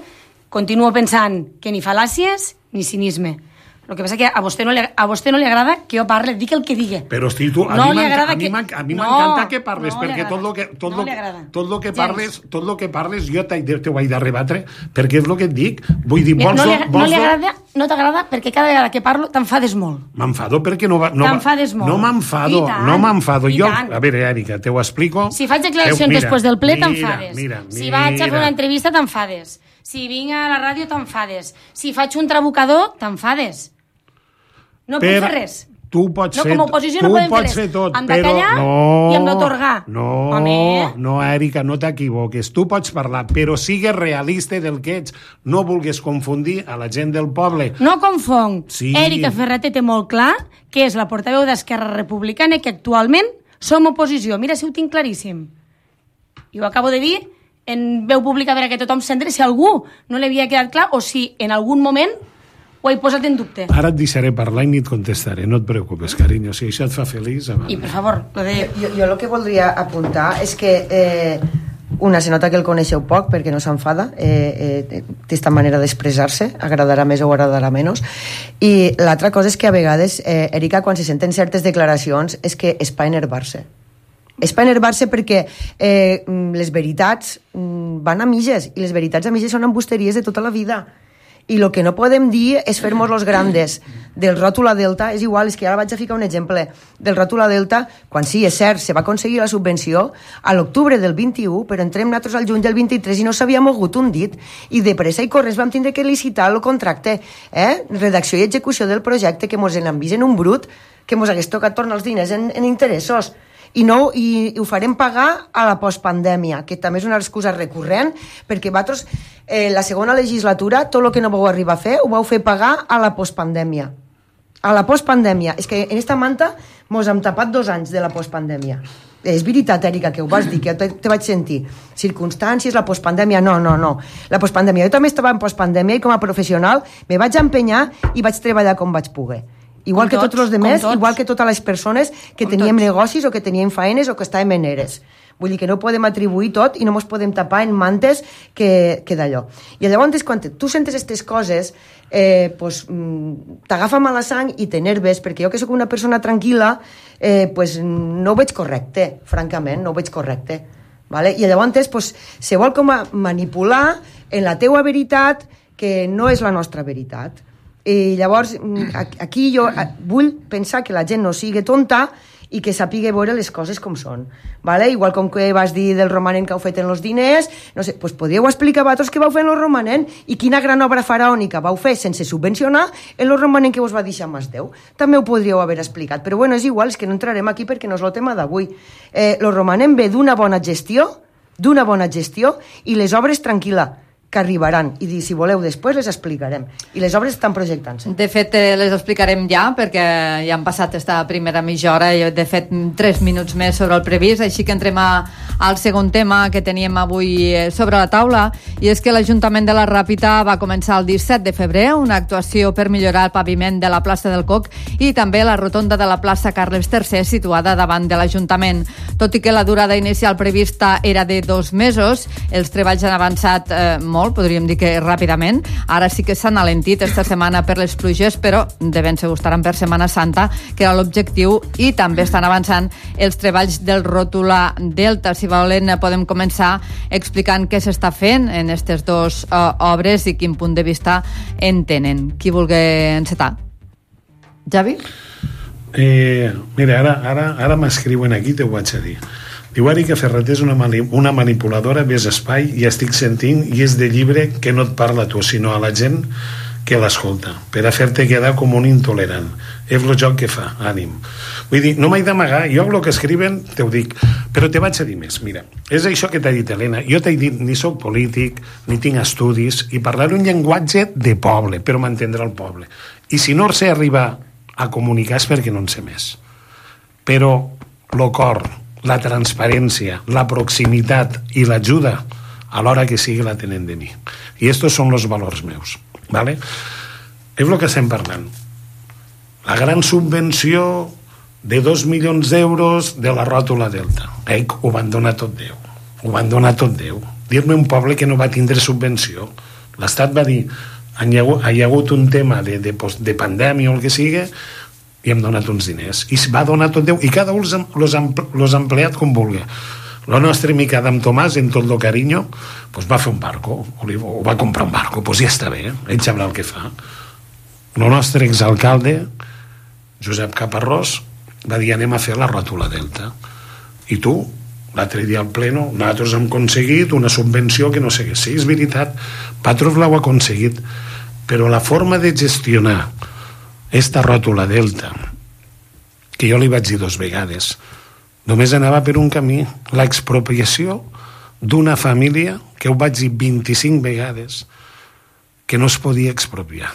Continuo pensant que ni fal·làcies ni cinisme. El que passa que a vostè no li, a vostè no li agrada que jo parle, dic el que digui. Però hosti, tu, a No mi li m'enca- agrada a mi que- m'enca- a mi No, m'encanta que parles, no li perquè tot agrada. el que, tot No lo, li agrada. tot lo que Gens. parles, tot lo que parles, jo t'he de- t'ho vaig de rebatre, perquè és el que et dic. Vull dir, Mira, vols... no, li, do- no vols li do- agrada, no t'agrada perquè cada vegada que parlo t'enfades molt. M'enfado perquè no va... No, va- T'enfades molt. No m'enfado, I tant, no m'enfado. i Jo, tant. a veure, Èrica, te ho explico. Si faig declaracions Mira, després del ple, mira, t'enfades. Mira, mira, Si vaig a fer una entrevista, t'enfades. Si vinc a la ràdio, t'enfades. Si faig un trabucador, t'enfades. No puc fer res. Tu pots No, fer, com a oposició no tu podem fer pots res. fer tot, Hem de però callar no, i hem d'atorgar. No, Home. no, Èrica, no t'equivoques. Tu pots parlar, però sigues realista del que ets. No vulguis confundir a la gent del poble. No confong. Sí. Èrica Ferrater té molt clar que és la portaveu d'Esquerra Republicana i que actualment som oposició. Mira si ho tinc claríssim. I ho acabo de dir en veu pública per a que tothom s'entri si algú no li havia quedat clar o si en algun moment ho he posat en dubte. Ara et deixaré parlar i ni et contestaré, no et preocupes, carinyo, si això et fa feliç... Avant. I, per favor, lo de... Jo, jo el que voldria apuntar és que eh, una, se nota que el coneixeu poc perquè no s'enfada, eh, eh, té esta manera d'expressar-se, agradarà més o agradarà menys, i l'altra cosa és que a vegades, eh, Erika, quan se senten certes declaracions és que és pa enervar-se. És pa enervar-se perquè eh, les veritats van a mitges, i les veritats a mitges són embusteries de tota la vida. I el que no podem dir és fer-nos los grandes del ròtula Delta, és igual, és que ara vaig a ficar un exemple del ròtula Delta, quan sí, és cert, se va aconseguir la subvenció a l'octubre del vint-i-u, però entrem nosaltres al juny del vint-i-tres i no s'havia mogut un dit, i de pressa i corres vam tindre que licitar el contracte, eh? Redacció i execució del projecte, que mos en vist en un brut, que mos hagués tocat tornar els diners en, en interessos. I, no, i, i ho farem pagar a la postpandèmia, que també és una excusa recurrent, perquè vosaltres, eh, la segona legislatura, tot el que no vau arribar a fer, ho vau fer pagar a la postpandèmia. A la postpandèmia. És que en esta manta mos hem tapat dos anys de la postpandèmia. És veritat, Erika, que ho vas dir, que te, te vaig sentir. Circumstàncies, la postpandèmia, no, no, no. La postpandèmia. Jo també estava en postpandèmia i com a professional me vaig empenyar i vaig treballar com vaig poder. Igual com que tots, tots els demés, tots. Igual que totes les persones que com teníem tots. Negocis o que teníem faenes o que estàvem en eres. Vull dir que no podem atribuir tot i no ens podem tapar en mantes que, que d'allò. I llavors, quan tu sentes aquestes coses, eh, pues, t'agafa mala sang i t'enerves, perquè jo que sóc una persona tranquil·la, eh, pues, no ho veig correcte, francament, no ho veig correcte. Vale? I llavors pues, se vol com a manipular en la teua veritat que no és la nostra veritat. I llavors aquí jo vull pensar que la gent no sigui tonta i que sàpiga veure les coses com són, vale? Igual com que vas dir del romanent que heu fet en els diners, no sé, pues podríeu explicar a vosaltres què vau fer en el romanent i quina gran obra faraònica vau fer sense subvencionar en el romanent que us va deixar Masdeu. També ho podríeu haver explicat, però bueno, és igual, és que no entrarem aquí perquè no és el tema d'avui. Eh, el romanent ve d'una bona gestió, d'una bona gestió i les obres tranquil·la, que arribaran, i si voleu després les explicarem, i les obres estan projectant-se. De fet, les explicarem ja, perquè ja han passat esta primera mitja hora, i de fet tres minuts més sobre el previst, així que entrem a, al segon tema que teníem avui sobre la taula, i és que l'Ajuntament de la Ràpita va començar el disset de febrer una actuació per millorar el paviment de la plaça del Coc i també la rotonda de la plaça Carles tercer situada davant de l'Ajuntament. Tot i que la durada inicial prevista era de dos mesos, els treballs han avançat eh, molt, podríem dir que ràpidament. Ara sí que s'han alentit esta setmana per les pluges, però de ben segur estaran per Setmana Santa, que era l'objectiu, i també estan avançant els treballs del ròtula Delta. Si volen, podem començar explicant què s'està fent en aquestes dues uh, obres i quin punt de vista en tenen. Qui vulgui encetar? Javi? Eh, mira, ara, ara, ara m'escriuen aquí, te ho vaig a dir. Diu, Erika Ferreter és una, mani una manipuladora, ves espai i estic sentint, i és de llibre que no et parla a tu, sinó a la gent que l'escolta, per a fer-te quedar com un intolerant. És el joc que fa, ànim. Vull dir, no m'he d'amagar, jo el que escriuen te ho dic, però te vaig a dir més. Mira, és això que t'ha dit Helena, jo t'he dit, ni sóc polític, ni tinc estudis, i parlaré un llenguatge de poble, però m'entendrà el poble. I si no sé arribar a comunicar és perquè no en sé més. Però el cor, la transparència, la proximitat i l'ajuda a l'hora que sigui la tenen de mi. I estos són els valors meus. ¿Vale? És el que estem parlant. La gran subvenció de dos milions d'euros de la ròtula Delta. Eh, ho van donar tot Déu. Ho van donar tot Déu. Dir-me un poble que no va tindre subvenció. L'Estat va dir, hi ha, hi ha hagut un tema de, de, de pandèmia o el que sigui, i hem donat uns diners, i va donar tot Déu, i cada un els ha empleat com vulgui. El nostre amic Adam Tomàs, en tot el carinyo, pues va fer un barco, o va comprar un barco, pues ja està bé, ell sabrà el que fa. El nostre exalcalde, Josep Caparrós, va dir, anem a fer la ròtula Delta. I tu, l'altre dia al pleno, nosaltres hem aconseguit una subvenció que no sé què. Sí, és veritat, vosaltres l'heu aconseguit, però la forma de gestionar esta ròtula Delta, que jo li vaig dir dos vegades, només anava per un camí, l'expropiació d'una família, que ho vaig dir vint-i-cinc vegades, que no es podia expropiar.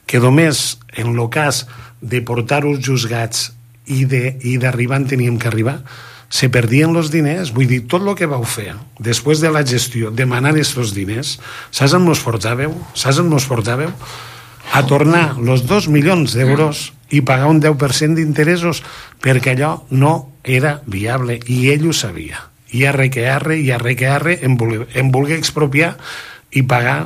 Que només en el cas de portar-ho als juzgats i d'arribar on teníem que arribar, se perdien els diners. Vull dir, tot el que vau fer després de la gestió, demanar aquests diners, saps on mos portàveu? Saps on mos portàveu? a tornar els dos milions d'euros i pagar un deu per cent d'interessos, perquè allò no era viable, i ell ho sabia. I arre que arre, i arre que arre, em volia, em volia expropiar i pagar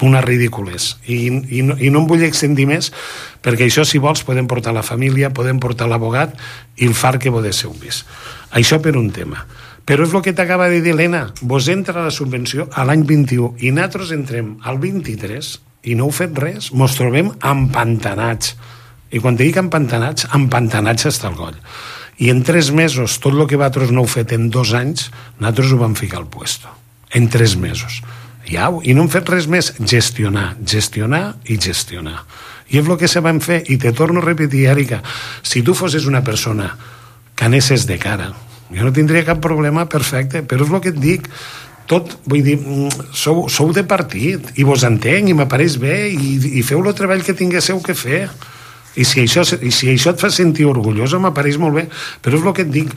una ridícules. I, i, no, I no em vull extendir més, perquè això, si vols, podem portar la família, podem portar l'abogat i el far que vos de ser un vist. Això per un tema. Però és el que t'acaba de dir l'Helena, vos entra la subvenció a l'any vint-i-u i nosaltres entrem al vint-i-tres i no heu fet res, mos trobem empantanats. I quan te dic empantanats, empantanats hasta el coll. I en tres mesos, tot el que vosaltres no heu fet en dos anys, nosaltres ho vam ficar al puesto. En tres mesos. Ja, i no hem fet res més, gestionar, gestionar i gestionar. I és el que se van fer, i te torno a repetir, Èrica, si tu fossis una persona que anessis de cara, jo no tindria cap problema, perfecte, però és el que et dic, tot, vull dir, sou, sou de partit, i vos entenc, i m'apareix bé, i, i feu el treball que tinguéssiu que fer. I si això, i si això et fa sentir orgullosa, m'apareix molt bé, però és el que et dic,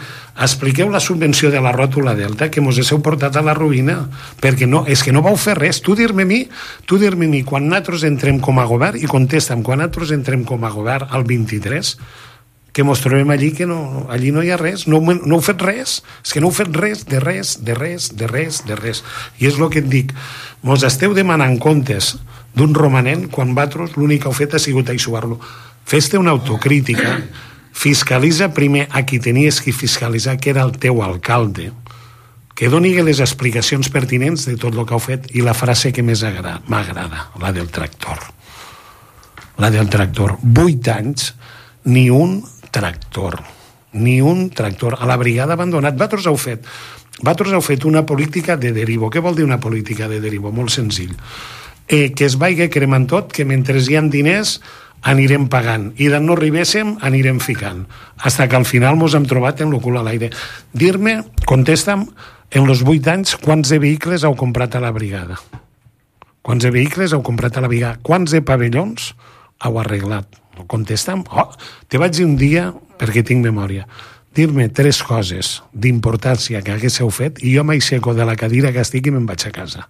expliqueu la subvenció de la ròtula Delta, que mos heu portat a la ruïna, perquè no, és que no vau fer res. Tu dir-me a mi, tu dir-me a mi, quan nosaltres entrem com a govern, i contesta'm, quan nosaltres entrem com a govern al vint-i-tres, que mos trobem allí, que no, allí no hi ha res, no, no heu fet res, és que no heu fet res, de res, de res, de res, de res. I és el que et dic, mos esteu demanant comptes d'un romanent, quan vosaltres l'únic que heu fet ha sigut aixugar-lo. Fes-te una autocrítica, fiscalitza primer a qui tenies que fiscalitzar, que era el teu alcalde, que doni les explicacions pertinents de tot el que heu fet, i la frase que més m'agrada, la del tractor. La del tractor. Vuit anys, ni un tractor. Ni un tractor. A la brigada abandonat. Vosaltres heu fet, vosaltres heu fet una política de derivo. Què vol dir una política de derivo? Molt senzill. Eh, que es vagi cremant tot, que mentre hi ha diners anirem pagant, i d'on no arribéssim anirem ficant, hasta que al final mos hem trobat en el cul a l'aire. Dir-me, contesta'm, en els vuit anys, quants de vehicles heu comprat a la brigada? Quants de vehicles heu comprat a la brigada? Quants de pavellons heu arreglat? Contesta'm. Oh, te vaig dir un dia, perquè tinc memòria, dir-me tres coses d'importància que haguéssiu fet, i jo m'aixeco de la cadira que estic i me'n vaig a casa.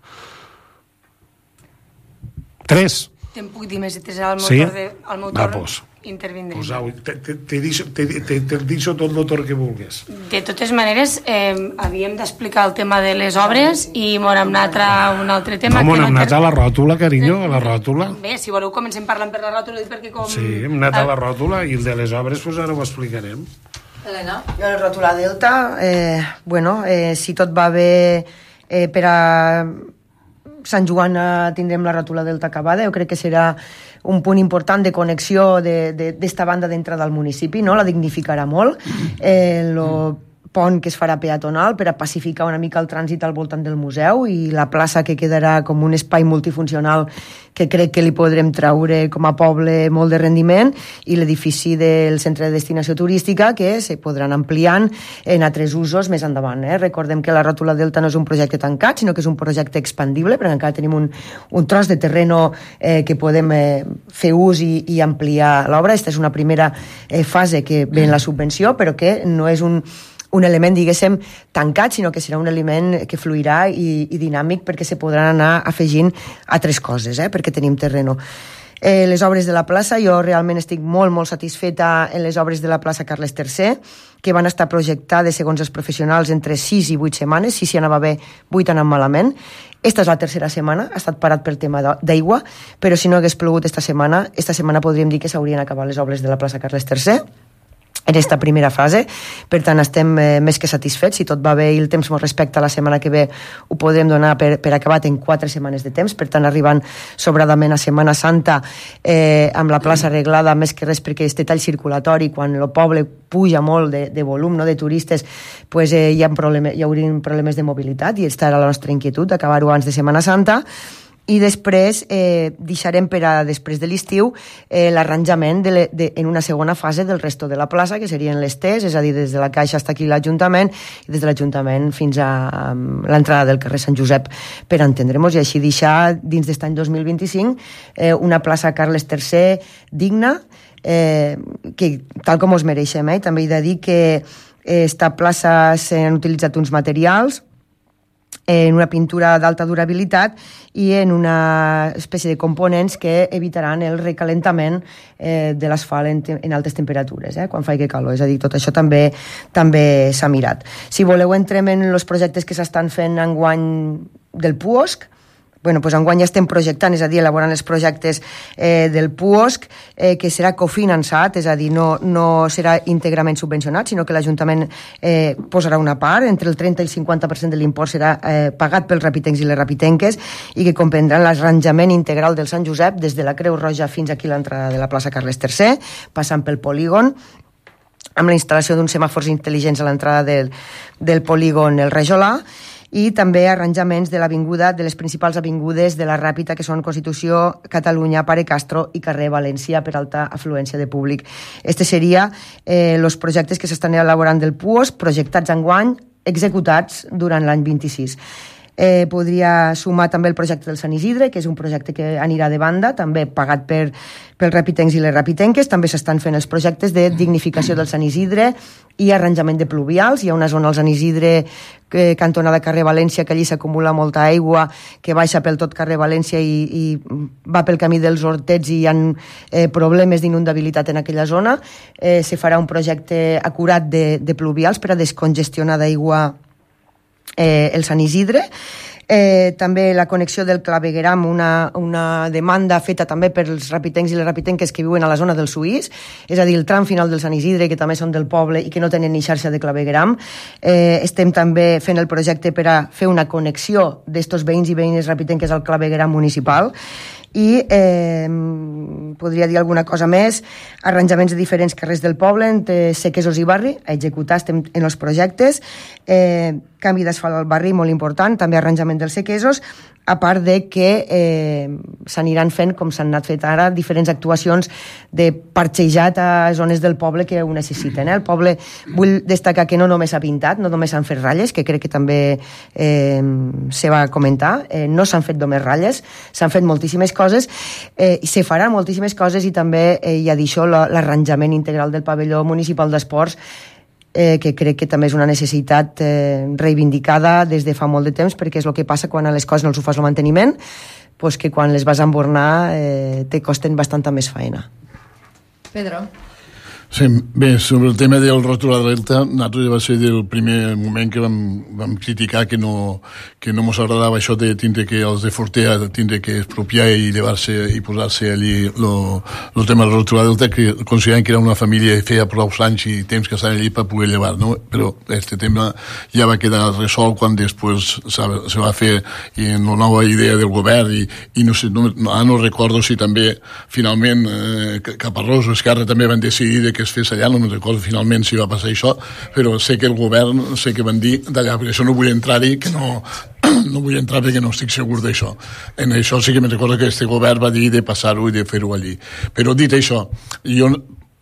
Tres. Te'n puc dir més, i al meu sí? torn, de, al meu torn Va, pues, intervindré. Pues, au, te, te, te, deixo, te, te, te deixo tot el torn que vulguis. De totes maneres, eh, havíem d'explicar el tema de les obres i m'on hem anat a un altre tema. No, m'on no hem anat inter... a la ròtula, carinyo, a la ròtula. Bé, si voleu comencem parlant per la ròtula, perquè com... Sí, hem anat a la ròtula, i el de les obres, pues ara ho explicarem. Helena? Jo el ròtula Delta, eh, bueno, eh, si tot va bé eh, per a Sant Joan tindrem la ròtula Delta acabada, jo crec que serà un punt important de connexió d'esta banda d'entrada al municipi, no? La dignificarà molt. Eh, lo pont que es farà peatonal per a pacificar una mica el trànsit al voltant del museu, i la plaça que quedarà com un espai multifuncional que crec que li podrem traure com a poble molt de rendiment, i l'edifici del centre de destinació turística que se podran ampliant en altres usos més endavant. Eh? Recordem que la ròtula Delta no és un projecte tancat, sinó que és un projecte expandible, perquè encara tenim un, un tros de terreno eh, que podem eh, fer ús i, i ampliar l'obra. Aquesta és una primera eh, fase que ve en la subvenció, però que no és un un element, diguéssim, tancat, sinó que serà un element que fluirà i, i dinàmic, perquè se podran anar afegint altres coses, eh? Perquè tenim terreno. Eh, les obres de la plaça, jo realment estic molt, molt satisfeta en les obres de la plaça Carles tercer, que van estar projectades, segons els professionals, entre sis i vuit setmanes. Si s'hi anava bé, vuit anant malament. Esta és la tercera setmana, ha estat parat pel tema d'aigua, però si no hagués plogut esta setmana, esta setmana podríem dir que s'haurien acabat les obres de la plaça Carles tercer, en aquesta primera fase. Per tant, estem eh, més que satisfets. Si tot va bé i el temps ens respecta, la setmana que ve ho podrem donar per, per acabat en quatre setmanes de temps, per tant, arribant sobradament a Setmana Santa eh, amb la plaça arreglada, més que res perquè este tall circulatori, quan el poble puja molt de, de volum, no, de turistes, pues, eh, hi, ha problema, hi haurien problemes de mobilitat, i aquesta era la nostra inquietud, acabar-ho abans de Setmana Santa. I després eh, deixarem per a després de l'estiu eh, l'arranjament de, de, en una segona fase del resto de la plaça, que serien les Ts, és a dir, des de la Caixa fins aquí l'Ajuntament, i des de l'Ajuntament fins a um, l'entrada del carrer Sant Josep, per entendre'ns, i així deixar dins d'aquest any dos mil vint-i-cinc eh, una plaça Carles tercer digna, eh, que tal com us mereixem. Eh? També he de dir que eh, esta plaça s'han utilitzat uns materials en una pintura d'alta durabilitat i en una espècie de components que evitaran el recalentament eh, de l'asfalt en, en altes temperatures, eh, quan faci calor. És a dir, tot això també també s'ha mirat. Si voleu, entrem en els projectes que s'estan fent enguany del puosc. Bueno, doncs enguany ja estem projectant, és a dir, elaborant els projectes eh, del puosc, eh, que serà cofinançat, és a dir, no, no serà íntegrament subvencionat, sinó que l'Ajuntament eh, posarà una part, entre el trenta i el cinquanta per cent de l'import serà eh, pagat pels rapitencs i les rapitenques i que comprendran l'arranjament integral del Sant Josep des de la Creu Roja fins aquí a l'entrada de la plaça Carles tercer, passant pel polígon, amb la instal·lació d'uns semàfors intel·ligents a l'entrada del, del polígon El Rajolà, i també arranjaments de l'avinguda, de les principals avingudes de la Ràpita, que són Constitució, Catalunya, Pare Castro i carrer València, per alta afluència de públic. Este seria eh, els projectes que s'estan elaborant del puosc, projectats enguany, executats durant l'any vint-i-sis. Eh, podria sumar també el projecte del Sant Isidre, que és un projecte que anirà de banda, també pagat per, pels rapitencs i les rapitenques. També s'estan fent els projectes de dignificació del Sant Isidre i arranjament de pluvials. Hi ha una zona al Sant Isidre, que, cantonada carrer València, que allí s'acumula molta aigua, que baixa pel tot carrer València i, i va pel camí dels Hortets i hi ha eh, problemes d'inundabilitat en aquella zona. Eh, se farà un projecte acurat de, de pluvials per a descongestionar d'aigua Eh, el Sant Isidre. Eh, també la connexió del clavegueram, una, una demanda feta també pels rapitencs i les rapitenques que viuen a la zona del Suís, és a dir, el tram final del Sant Isidre, que també són del poble i que no tenen ni xarxa de clavegueram. Eh, estem també fent el projecte per a fer una connexió d'estos veïns i veïnes rapitenques al clavegueram municipal. I eh, podria dir alguna cosa més, arranjaments de diferents carrers del poble entre Sequesos i Barri, a executar, estem en els projectes, eh, canvi d'asfalt al barri, molt important, també arranjament dels Sequesos, a part de que eh, s'aniran fent, com s'han anat fet ara, diferents actuacions de parxejat a zones del poble que ho necessiten. Eh? El poble, vull destacar que no només s'ha pintat, no només s'han fet ratlles, que crec que també eh, se va comentar, eh, no s'han fet només ratlles, s'han fet moltíssimes coses, eh, i se faran moltíssimes coses, i també eh, hi ha d'això l'arranjament integral del pavelló municipal d'esports, Eh, que crec que també és una necessitat eh, reivindicada des de fa molt de temps, perquè és el que passa quan a les coses no els ho fas el manteniment, pues que quan les vas a embornar eh, te costen bastanta més feina. Pedro. Sí, bé, sobre el tema del ròtol a Delta, nosaltres ja va ser del primer moment que vam, vam criticar que no, que no mos agradava això de tindre que els de Fortea tindre que expropiar i llevar-se i posar-se allí el tema del ròtol a Delta, que considerant que era una família i feia prou anys i temps que estaven allí per poder llevar, no? Però este tema ja va quedar resolt quan després se va fer en la nova idea del govern i, i no sé, no, no, no recordo si també finalment eh, Caparrós o Esquerra també van decidir que es fes allà, no me'n recordo finalment si va passar això, però sé que el govern, sé que van dir d'allà, perquè això no vull entrar-hi, que no, no vull entrar perquè no estic segur d'això. En això sí que me'n recordo que este govern va dir de passar-ho i de fer-ho allí. Però dit això, jo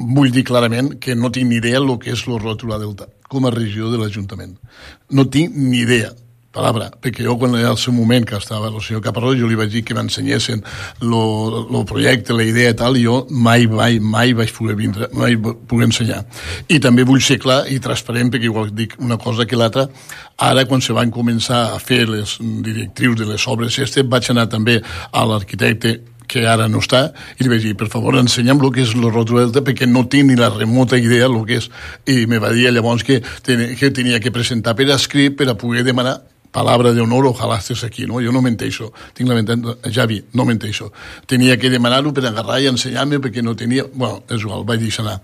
vull dir clarament que no tinc ni idea el que és el ròtol a Delta, com a regió de l'Ajuntament. No tinc ni idea. Palabra, perquè jo quan era el seu moment que estava el senyor Caparrós, jo li vaig dir que m'ensenyessin el projecte, la idea i tal, i jo mai, mai, mai vaig poder vindre, mai poder ensenyar. I també vull ser clar i transparent, perquè igual dic una cosa que l'altra, ara quan se van començar a fer les directrius de les obres, este, vaig anar també a l'arquitecte que ara no està, i li vaig dir, per favor, ensenya'm el que és el ròtol Delta, perquè no tinc ni la remota idea del que és. I me va dir llavors que, que tenia que presentar per escrit per a poder demanar palabra de honor, ojalá estés aquí, no? Jo no menteixo, tinc la mentència, Javi, no menteixo. Tenia que demanar-ho per agarrar i ensenyar-me perquè no tenia... Bueno, és igual, vaig deixar anar.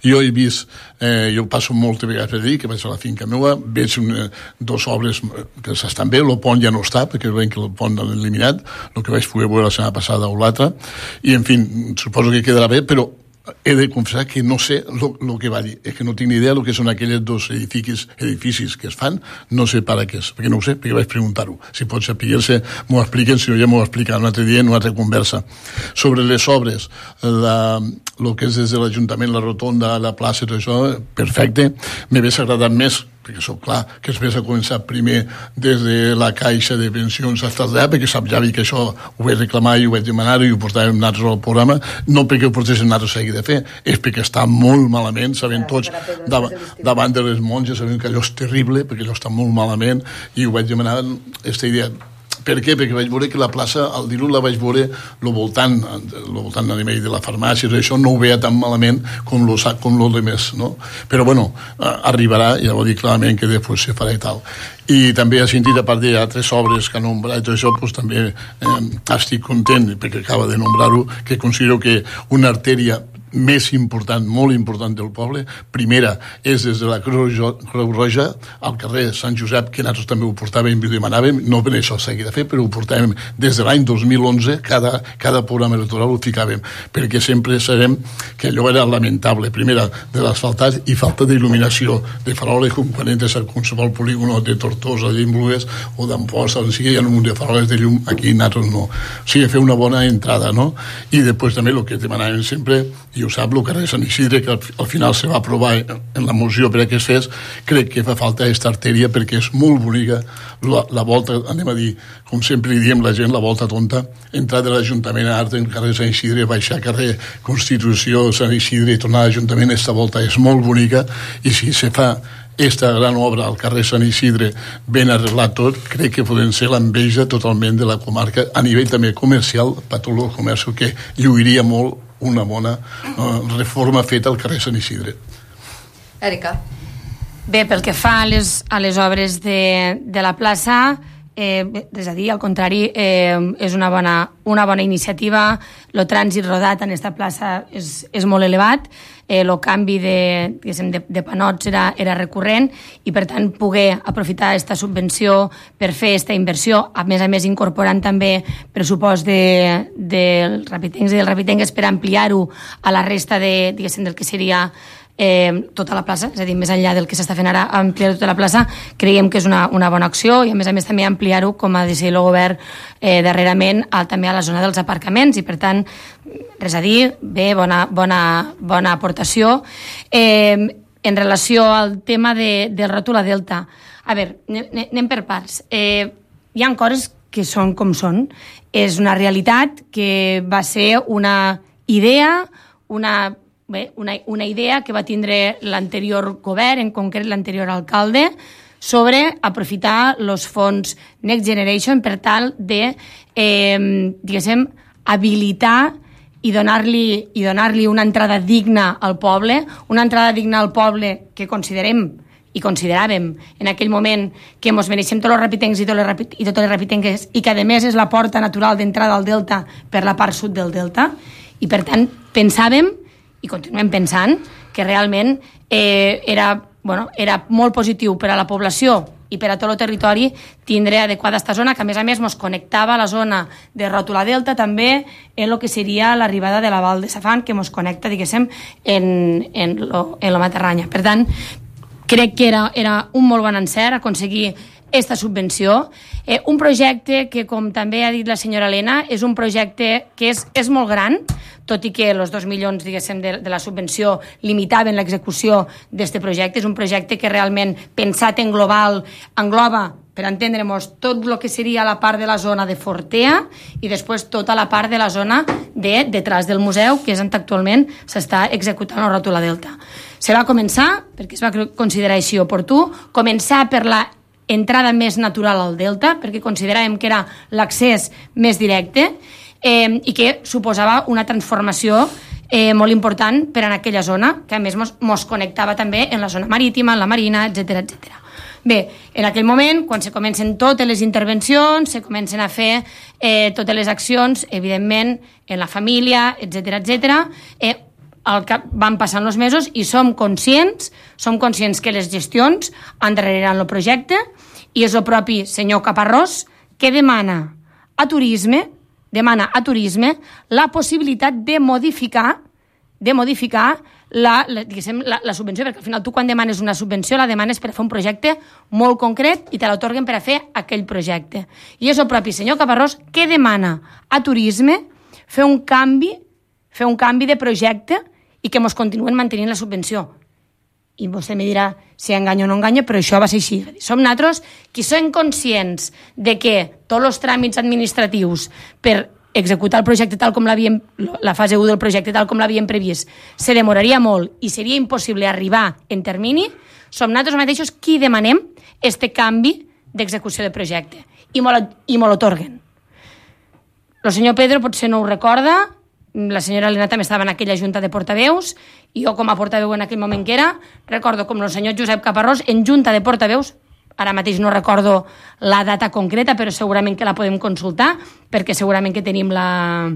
Jo he vist, eh, jo passo moltes vegades per dir que vaig a la finca meva, veig una, dos obres que s'estan bé, el pont ja no està, perquè veiem que el pont l'han eliminat, el que vaig poder veure la setmana passada o l'altra, i en fi, suposo que quedarà bé, però he de confessar que no sé el que va dir, és que no tinc ni idea del que són aquells dos edificis, edificis que es fan, no sé per a què és, perquè no ho sé, perquè vaig preguntar-ho. Si pot saber-se, m'ho expliquen, si no ja m'ho expliquen un altre dia en una altra conversa. Sobre les obres, el que és des de l'Ajuntament, la rotonda, la plaça, tot això, perfecte. M'hagués agradat més perquè això, clar, que després ha començat primer des de la Caixa de Pensions fins allà, perquè sap ja que això ho vaig reclamar i ho vaig demanar i ho portàvem nosaltres al programa, no perquè ho portéssim nosaltres seguir de fer, és perquè està molt malament, sabem tots, davant, davant de les monges, sabem que allò és terrible, perquè allò està molt malament, i ho vaig demanar, aquesta idea. Per què? Perquè vaig veure que la plaça, al dilluns la vaig veure al voltant, al voltant de la farmàcia, això no ho veia tan malament com lo, com lo de més, no? Però bueno, arribarà, ja ho dic clarament, que després se farà i tal. I també ha sentit, a part d'altres obres que ha nombrat i tot això, doncs també eh, estic content, perquè acaba de nombrar-ho, que considero que una artèria més important, molt important del poble, primera és des de la Creu Roja al carrer Sant Josep, que nosaltres també ho portàvem i ho demanàvem, no per això s'hagi de fer, però ho portàvem des de l'any dos mil onze, cada, cada programa electoral ho ficàvem, perquè sempre sabem que allò era lamentable, primera de l'asfaltat i falta d'il·luminació, de faroles, com quan entres a qualsevol polígono de Tortosa, d'Imblues o d'Amposta, on sigui, hi ha un munt de faroles de llum, aquí nosaltres no. O sigui, fer una bona entrada, no? I després també el que demanàvem sempre, i ho sap, el carrer Sant Isidre, que al final se va aprovar en la moció per a que es fes, crec que fa falta aquesta artèria perquè és molt bonica la, la volta, anem a dir, com sempre li diem la gent, la volta tonta, entrar de l'Ajuntament a Art en carrer Sant Isidre, baixar carrer Constitució, Sant Isidre i tornar a l'Ajuntament, aquesta volta és molt bonica, i si se fa esta gran obra al carrer Sant Isidre ben arreglat tot, crec que podem ser l'enveja totalment de la comarca a nivell també comercial, per tot el comerç, que lluiria molt una bona uh, reforma feta al carrer Sant Isidre. Èrica. Bé, pel que fa a les, a les obres de, de la plaça, eh, és a dir, al contrari, eh, és una bona, una bona iniciativa. El trànsit rodat en aquesta plaça és, és molt elevat, el eh, canvi de, de, de panots era, era recurrent i, per tant, poder aprofitar aquesta subvenció per fer aquesta inversió, a més a més incorporant també pressupost de, del Rapitencs i del Rapitenques per ampliar-ho a la resta de, del que seria eh, tota la plaça, és a dir, més enllà del que s'està fent ara, ampliar tota la plaça, creiem que és una, una bona acció i, a més a més, també ampliar-ho, com ha decidit el govern eh, darrerament, a, també a la zona dels aparcaments i, per tant, res a dir, bé, bona, bona, bona aportació. Eh, en relació al tema de, del ròtol a Delta, a veure, anem per parts. Eh, hi ha coses que són com són. És una realitat que va ser una idea, una, bé, una, una idea que va tindre l'anterior govern, en concret l'anterior alcalde, sobre aprofitar els fons Next Generation per tal de, eh, diguéssim, habilitar i donar-li i donar-li una entrada digna al poble, una entrada digna al poble que considerem i consideràvem en aquell moment que ens mereixem tots els rapitencs i totes les, i totes les rapitenques i que, a més, és la porta natural d'entrada al Delta per la part sud del Delta. I, per tant, pensàvem, i continuem pensant, que realment eh, era, bueno, era molt positiu per a la població i per a tot el territori tindre adequada aquesta zona, que a més a més ens connectava a la zona de Ròtula Delta també en el que seria l'arribada de la Val de Safant, que ens connecta, diguéssim, en, en, lo, en la Matarranya. Per tant, crec que era, era un molt bon encert aconseguir aquesta subvenció. Eh, un projecte que, com també ha dit la senyora Helena, és un projecte que és, és molt gran, tot i que els dos milions, diguéssim, de, de la subvenció limitaven l'execució d'aquest projecte. És un projecte que realment, pensat en global, engloba, per entendre-nos, tot el que seria la part de la zona de Fortea i després tota la part de la zona de detrás del museu, que és on actualment s'està executant el Ròtula Delta. Se va començar, perquè es va considerar així oportú, començar per la entrada més natural al Delta, perquè consideràvem que era l'accés més directe eh, i que suposava una transformació eh, molt important per en aquella zona, que a més mos, mos connectava també en la zona marítima, en la marina, etcètera, etcètera. Bé, en aquell moment, quan se comencen totes les intervencions, se comencen a fer eh, totes les accions, evidentment, en la família, etcètera, etcètera, eh, al cap van passant els mesos i som conscients, som conscients que les gestions endarreriran el projecte i és el propi senyor Caparrós que demana a Turisme, demana a Turisme la possibilitat de modificar de modificar la, la, la, la subvenció, perquè al final tu quan demanes una subvenció la demanes per a fer un projecte molt concret i te l'atorguen per a fer aquell projecte. I és el propi senyor Caparrós que demana a Turisme fer un canvi fer un canvi de projecte i que ens continuen mantenint la subvenció. i vostè me dirà si enganya o no enganya, però això va ser així. Som nosaltres qui som conscients de que tots els tràmits administratius per executar el projecte tal com l'havíem, la fase u del projecte tal com l'havíem previst, se demoraria molt i seria impossible arribar en termini, som nosaltres mateixos qui demanem este canvi d'execució de projecte i me l'otorguen. El senyor Pedro potser no ho recorda, la senyora Helena també estava en aquella junta de portaveus, i jo com a portaveu en aquell moment que era, recordo com el senyor Josep Caparrós en junta de portaveus, ara mateix no recordo la data concreta, però segurament que la podem consultar, perquè segurament que tenim la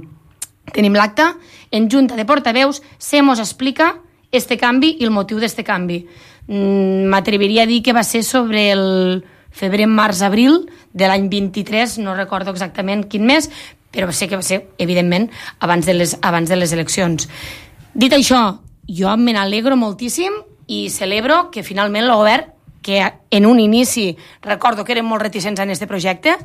tenim l'acte, en junta de portaveus se mos explica este canvi i el motiu d'este canvi. M'atreviria a dir que va ser sobre el febrer, març, abril de l'any vint-i-tres, no recordo exactament quin mes, però sé que va ser, evidentment, abans de les, abans de les eleccions. Dit això, jo me n'alegro moltíssim i celebro que finalment el govern, que en un inici recordo que eren molt reticents en aquest projecte,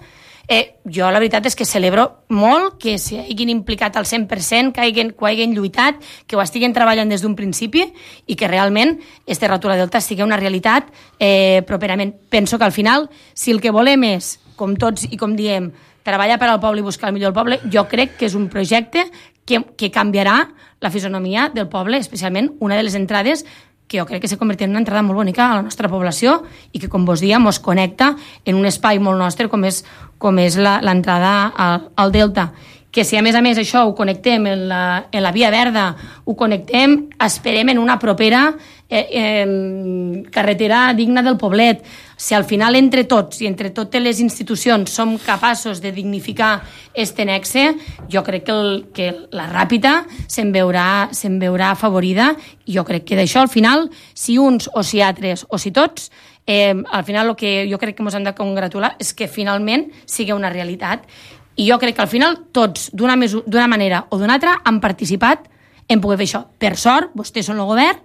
eh, jo la veritat és que celebro molt que s'hi hagin implicat al cent per cent, que hagin, que hagin lluitat, que ho estiguen treballant des d'un principi i que realment este Ràtula Delta sigui una realitat eh, properament. Penso que al final, si el que volem és, com tots i com diem, treballar per al poble i buscar el millor del poble, jo crec que és un projecte que, que canviarà la fisonomia del poble, especialment una de les entrades que jo crec que se convertirà en una entrada molt bonica a la nostra població i que, com vos dia, mos connecta en un espai molt nostre com és, com és l'entrada al, al Delta. Que si a més a més això ho connectem en la, en la Via Verda, ho connectem, esperem en una propera eh, eh, carretera digna del poblet. Si al final entre tots i entre totes les institucions som capaços de dignificar este nexe, jo crec que, el, que la Ràpita se'n veurà, se'n veurà afavorida i jo crec que d'això al final, si uns o si altres o si tots, eh, al final el que jo crec que ens hem de congratular és que finalment sigui una realitat. I jo crec que al final tots, d'una d'una manera o d'una altra, han participat en poder fer això. Per sort, vostès són el govern,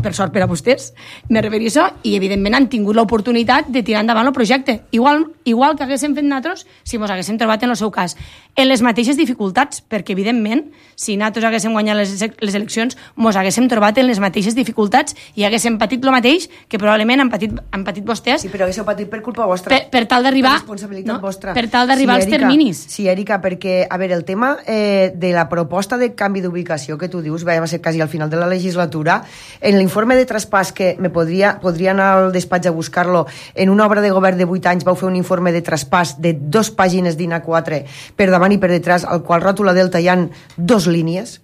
per sort per a vostès, me referia a això, i evidentment han tingut l'oportunitat de tirar endavant el projecte. Igual, igual que haguéssim fet nosaltres si ens haguéssim trobat en el seu cas. En les mateixes dificultats, perquè evidentment, si nosaltres haguéssim guanyat les, les eleccions, ens haguéssim trobat en les mateixes dificultats i haguéssim patit el mateix que probablement han patit, han patit vostès. Sí, però haguéssiu patit per culpa vostra. Per, per tal d'arribar responsabilitat no, vostra. Per tal d'arribar sí, als terminis. Sí, Èrica, perquè, a veure, el tema eh, de la proposta de canvi d'ubicació que tu dius, va ser quasi al final de la legislatura, en l'informe de traspàs que me podria, podria anar al despatx a buscar-lo, en una obra de govern de vuit anys vau fer un informe de traspàs de dos pàgines d'I N A quatre per davant i per detrás, al qual Ràtula Delta hi ha dos línies,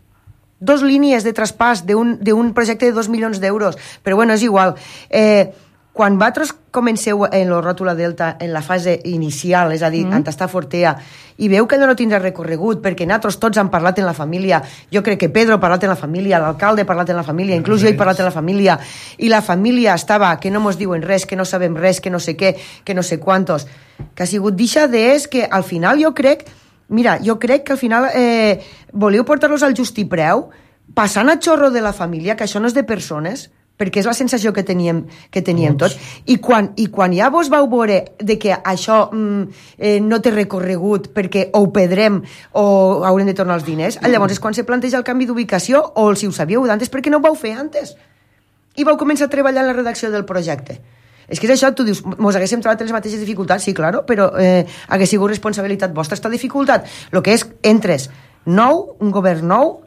dos línies de traspàs d'un projecte de dos milions d'euros, però bueno, és igual. Eh, quan vosaltres comenceu en el Ràtula Delta en la fase inicial, és a dir, mm. on està Fortea, i veu que allò no tindrà recorregut, perquè nosaltres tots han parlat en la família, jo crec que Pedro ha parlat en la família, l'alcalde ha parlat en la família, inclús jo he parlat en la família, i la família estava, que no mos diuen res, que no sabem res, que no sé què, que no sé quantos, que ha sigut dixa d'és que al final jo crec, mira, jo crec que al final eh, voleu portar-los al justipreu, passant a xorro de la família, que això no és de persones, perquè és la sensació que teníem, que teníem tots. I quan, I quan ja vos vau veure de que això mm, eh, no té recorregut perquè o ho perdrem o haurem de tornar els diners, llavors és quan se planteja el canvi d'ubicació, o si ho sabíeu d'antes, perquè no ho vau fer antes? I vau començar a treballar en la redacció del projecte. És que és això, tu dius, mos haguéssim trobat les mateixes dificultats, sí, claro, però eh, hagués sigut responsabilitat vostra esta dificultat. El que és, entres nou, un govern nou,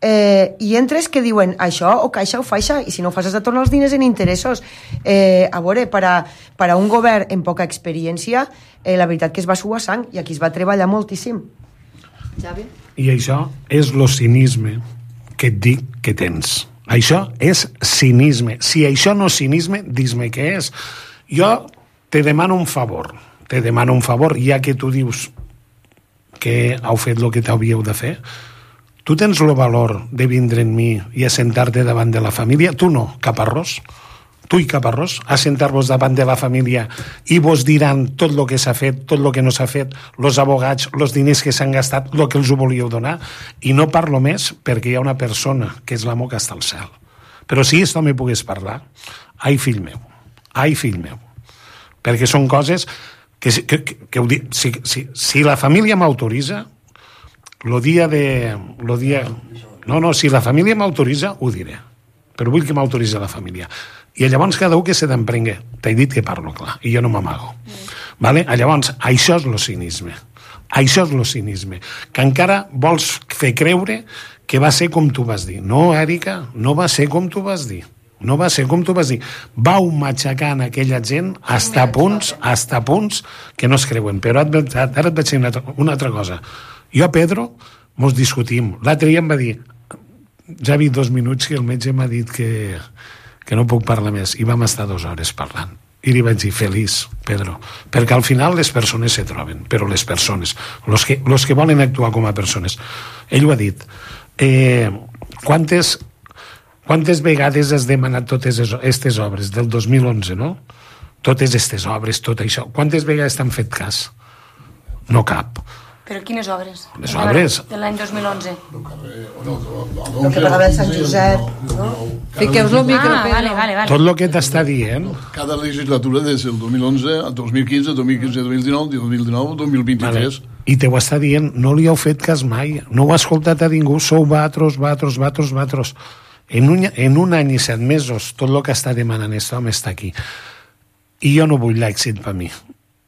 Eh, i entres que diuen això o caixa o faixa, i si no fas has de tornar els diners en interessos. Eh, a veure, per a, per a un govern amb poca experiència, eh, la veritat que es va suar sang i aquí es va treballar moltíssim. Xavi? I això és lo cinisme que et dic que tens. Això és cinisme. Si això no és cinisme, dis-me què és. Jo te demano un favor. Te demano un favor, ja que tu dius que heu fet el que t'hauríeu de fer. Tu tens el valor de vindre en mi i assentar-te davant de la família? Tu no, Caparrós. Tu i Caparrós, assentar-vos davant de la família i vos diran tot el que s'ha fet, tot el que no s'ha fet, els abogats, els diners que s'han gastat, el que els ho volíeu donar. I no parlo més perquè hi ha una persona que és l'amo que està al cel. Però si esto me pogués parlar, ai, fill meu, ai, fill meu. Perquè són coses que, que, que, que ho dic, si, si, si la família m'autoritza, Lo dia de... Lo dia... No, no, si la família m'autoritza, ho diré. però vull que m'autoritzi la família. I llavors cada un que se t'emprengue. T'he dit que parlo clar, i jo no m'amago. Mm. Vale? Llavors, això és el cinisme. Això és el cinisme. Que encara vols fer creure que va ser com tu vas dir. No, Èrica, no va ser com tu vas dir. No va ser com tu vas dir. Vau matxacant aquella gent hasta punts, hasta punts que no es creuen. Però ara et vaig dir una, una altra cosa. Jo, Pedro, mos discutim. L'altre dia em va dir, ja ha vist dos minuts que el metge m'ha dit que, que no puc parlar més. I vam estar dues hores parlant. I li vaig dir, feliç, Pedro, perquè al final les persones se troben, però les persones, los que, los que volen actuar com a persones. Ell ho ha dit. Eh, quantes, quantes vegades has demanat totes aquestes obres del dos mil onze, no? Totes aquestes obres, tot això. Quantes vegades t'han fet cas? No cap. Però quines obres? Les obres. De l'any dos mil onze. El que pagava el Sant Josep, no? Fiqueu-vos el micro, Ah, Pedro. vale, vale, vale. Tot el que t'està dient... Cada legislatura des del dos mil onze al dos mil quinze, dos mil quinze, dos mil dinou, dos mil dinou, dos mil vint-i-tres. Vale. I te ho està dient, no li heu fet cas mai, no ho ha escoltat a ningú, sou vatros, vatros, vatros, vatros. En un, en un any i set mesos, tot el que està demanant aquest home està aquí. I jo no vull l'èxit per mi.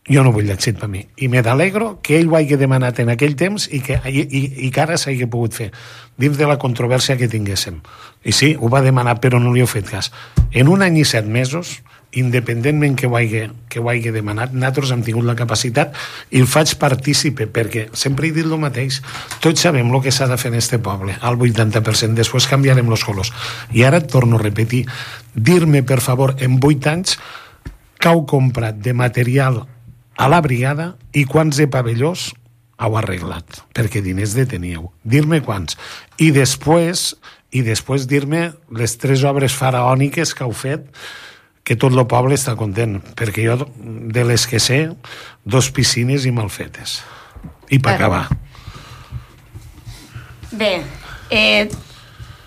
Jo no vull l'èxit per mi. I me d'alegro que ell ho hagi demanat en aquell temps i que, i, i, i que ara s'hagi pogut fer dins de la controvèrsia que tinguéssim. I sí, ho va demanar, però no li heu fet cas. En un any i set mesos, independentment que ho hagi, que ho hagi demanat, nosaltres hem tingut la capacitat i el faig partícipe, perquè sempre he dit el mateix. Tots sabem el que s'ha de fer en este poble, al vuitanta per cent. Després canviarem els colors. I ara et torno a repetir. Dir-me, per favor, en vuit anys, que heu comprat de material a la brigada i quants de pavellós heu arreglat, perquè diners de teníeu. Dir-me quants. I després, i després dir-me les tres obres faraòniques que heu fet, que tot el poble està content, perquè jo, de les que sé, dos piscines i mal fetes. I per acabar. Bé, eh,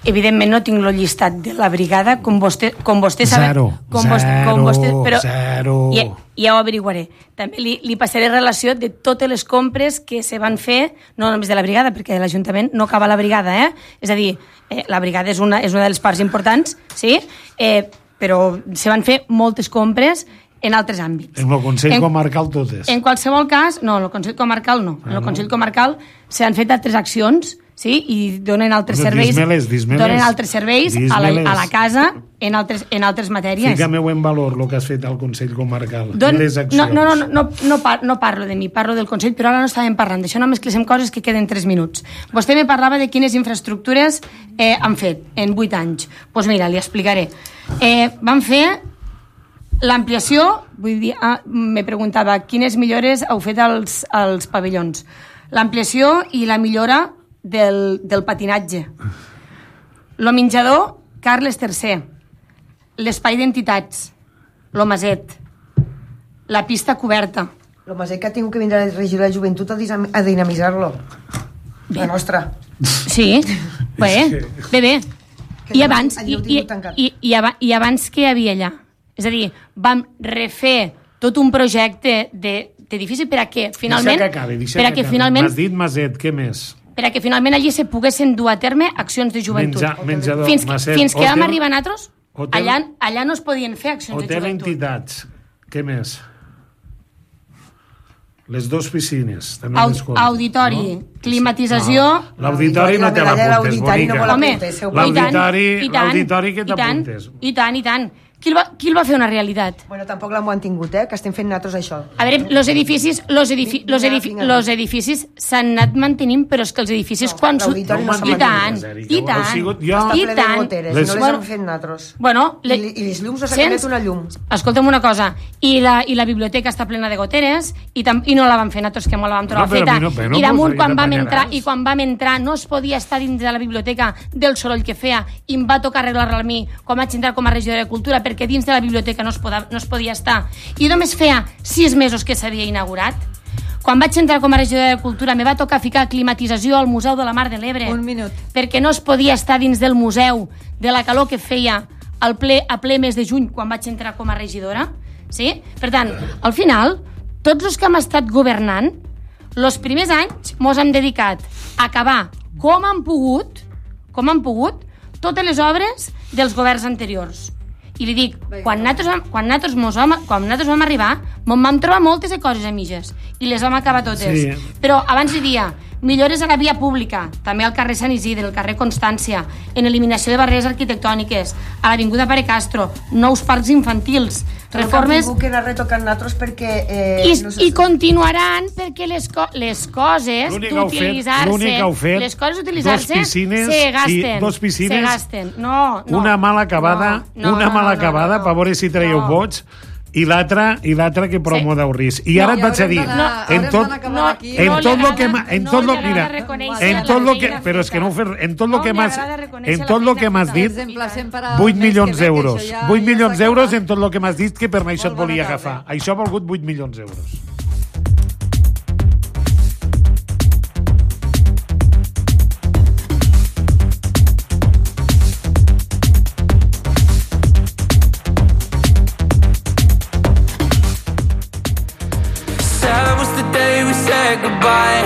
evidentment no tinc el llistat de la brigada, com vostè, com vostè sabe... Zero, com zero, vostè, com vostè, però zero. Ja, ja ho averiguaré. També li, li passaré relació de totes les compres que se van fer, no només de la brigada, perquè l'Ajuntament no acaba la brigada, eh? És a dir, eh, la brigada és una, és una de les parts importants, sí? Eh, però se van fer moltes compres en altres àmbits. En el Consell en, Comarcal totes. En qualsevol cas, no, en el Consell Comarcal no. En el Consell Comarcal s'han fet altres accions, sí, i donen altres no, serveis, dis-me-les, dis-me-les. donen altres serveis a la, a la casa en altres, en altres matèries. Fica-me-ho en valor, el que has fet al Consell Comarcal. Don, les accions. No, no, no, no, no, par, no parlo de mi, parlo del Consell, però ara no estàvem parlant d'això, només que coses que queden tres minuts. Vostè me parlava de quines infraestructures eh, han fet en vuit anys. Doncs pues mira, li explicaré. Eh, van fer l'ampliació, vull dir, ah, me preguntava quines millores heu fet als, als pavellons. L'ampliació i la millora del, del patinatge. Lo menjador Carles tercer, l'espai d'entitats, lo Maset, la pista coberta. Lo Maset que ha tingut que vindre a regir la joventut a dinamitzar-lo. La nostra. Sí, bé, bé, bé. I abans, i, i, i, i, i abans què hi havia allà? És a dir, vam refer tot un projecte d'edifici per a què finalment... Deixa que acabi, deixa per a que que acabi. finalment, M'has dit Maset, què més? per a que finalment allí se poguessin dur a terme accions de joventut. Menja, menjador, fins, Maset, fins que hotel, vam arribar nosaltres, hotel, allà, allà no es podien fer accions hotel de joventut. entitats, què més? Les dues piscines, també Au, les comptes, auditori, no? climatització... No. L'auditori no te l'apuntes, bonica. No Home, l'auditori, i tant, l'auditori que i tant, t'apuntes. I tant, i tant. Qui el, va, qui el va fer una realitat? Bueno, tampoc l'hem mantingut, eh? Que estem fent nosaltres això. A veure, los edificis, los edifi, Vinga, los edifi, vinga. los edificis s'han anat mantenint, però és que els edificis No, quan... su- l'auditori no s'ha I tant, mantingut. i Heu tant, sigut jo- Està i ple de tant. goteres, Les- i no les Bueno, hem fet nosaltres. Bueno, I, li- I les llums no s'ha sents? canviat una llum. Escolta'm una cosa, i la, i la biblioteca està plena de goteres i, tam, i no la vam fer nosaltres, que molt la vam trobar No, però a feta. mi no, però no, I damunt, pues, quan ja vam t'apanyaràs. entrar, i quan vam entrar no es podia estar dins de la biblioteca del soroll que feia i em va tocar arreglar-la a mi quan vaig entrar com a regidora de Cultura, perquè dins de la biblioteca no es, poda, no es podia estar. I només feia sis mesos que s'havia inaugurat. Quan vaig entrar com a regidora de Cultura me va tocar ficar climatització al Museu de la Mar de l'Ebre. Un minut. Perquè no es podia estar dins del museu de la calor que feia al ple, a ple mes de juny quan vaig entrar com a regidora. Sí? Per tant, al final, tots els que hem estat governant, els primers anys mos hem dedicat a acabar com han pogut, com han pogut, totes les obres dels governs anteriors. I li dic, quan nosaltres, quan nosaltres, mos vam, quan nosaltres vam arribar, mos vam trobar moltes de coses a mitges, i les vam acabar totes. Sí. Però abans hi havia millores a la via pública, també al carrer Sant Isidre, al carrer Constància, en eliminació de barreres arquitectòniques, a l'Avinguda Pare Castro, nous parcs infantils, reformes... Però que hem retocant nosaltres perquè... Eh, I, no I continuaran perquè les, co les coses d'utilitzar-se... Les coses d'utilitzar-se se gasten. I dos piscines, se gasten. No, no. Una mala acabada, no, no, una mala no, no, acabada, no, no, per veure si traieu no. vots, i l'altra i l'altra que promo sí. d'Aurris. I ara no, et vaig a dir, no, en tot no, en tot lo que en tot lo mira, en tot lo que però és que no fer, en tot lo que m'has en tot lo que m'has dit vuit milions d'euros. vuit milions d'euros en tot lo que m'has dit que per això et volia agafar. Això ha volgut vuit milions d'euros. Goodbye.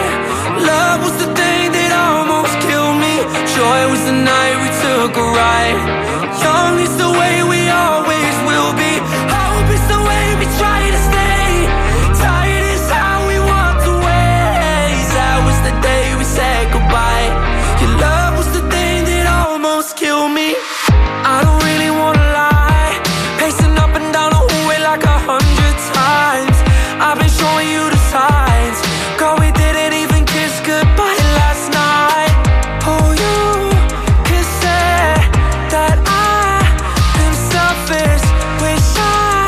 Love was the thing that almost killed me. Joy was the night we took a ride. Young is the way we always will be. Hope is the way we try to stay. Tired is how we walked away. That was the day we said goodbye. Your love was the thing that almost killed me. I don't really wanna lie, pacing up and down the hallway like a hundred times. I've been showing you the signs. Girl, we didn't even kiss goodbye last night. Oh, you could say that I've been selfish. Wish I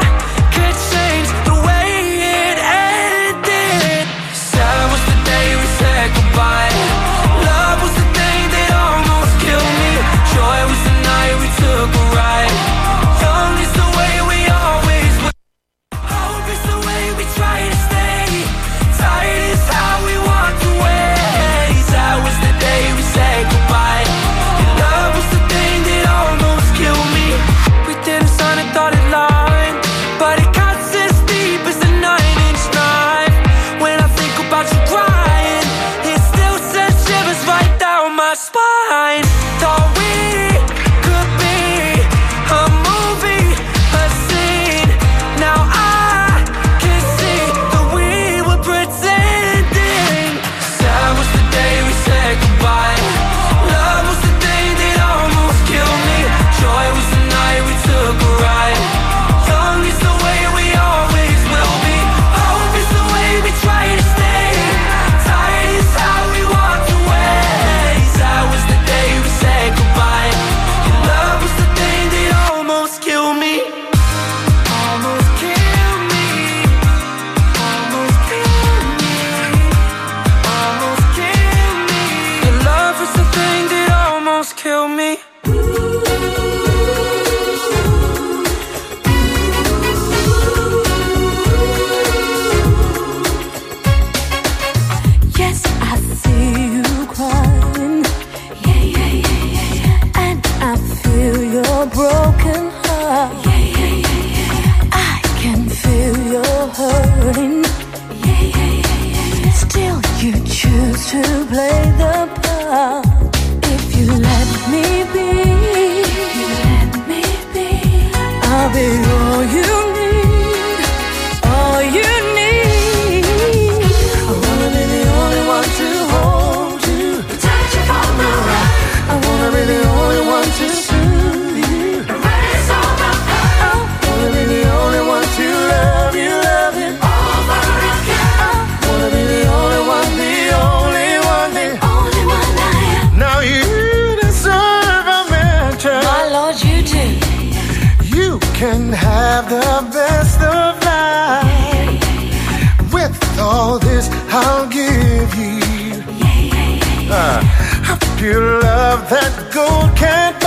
could change the way it ended. Sad was the day we said goodbye. Love was the thing that almost killed me. Joy was the night we took a ride. Young is the way we always were. Hope is the way we try to stay. Tired is how we walked away. That was the day we said goodbye. Your love was the thing that almost killed me. We didn't sign a dotted line, but it cuts as deep as a nine-inch knife. When I think about you crying, it still sends shivers right down my spine. Thought we could be a movie, a scene. Now I can see that we were pretending. Sad was the day we said goodbye. Love was the thing that almost killed me. Joy was the night we took a ride. Young is the way we always will be. Hope is the way we try to stay. Tired is how we walked away. That was the day we said goodbye. Your love was the thing that almost killed me. Almost killed me. Almost killed me. Almost killed me. Your love was the thing that almost killed me. Yes, I see you crying. Yeah, yeah, yeah, yeah, yeah. And I feel your broken heart. Yeah, yeah, yeah, yeah, yeah. I can feel your hurting. Yeah, yeah, yeah, yeah, yeah. Still, you choose to play the part. If you let me be, if you let me be, I'll be all you need, all you need. I wanna be the only one to hold you, touch you from the right. I wanna be the only one to soothe you, erase all the pain. I wanna be the only one to love you, love you over again. I wanna be the only one, the only one, the only one I am. Now you deserve a mention. My Lord, you do. You can have the best of life. With all this I'll give you uh, a pure love that gold can't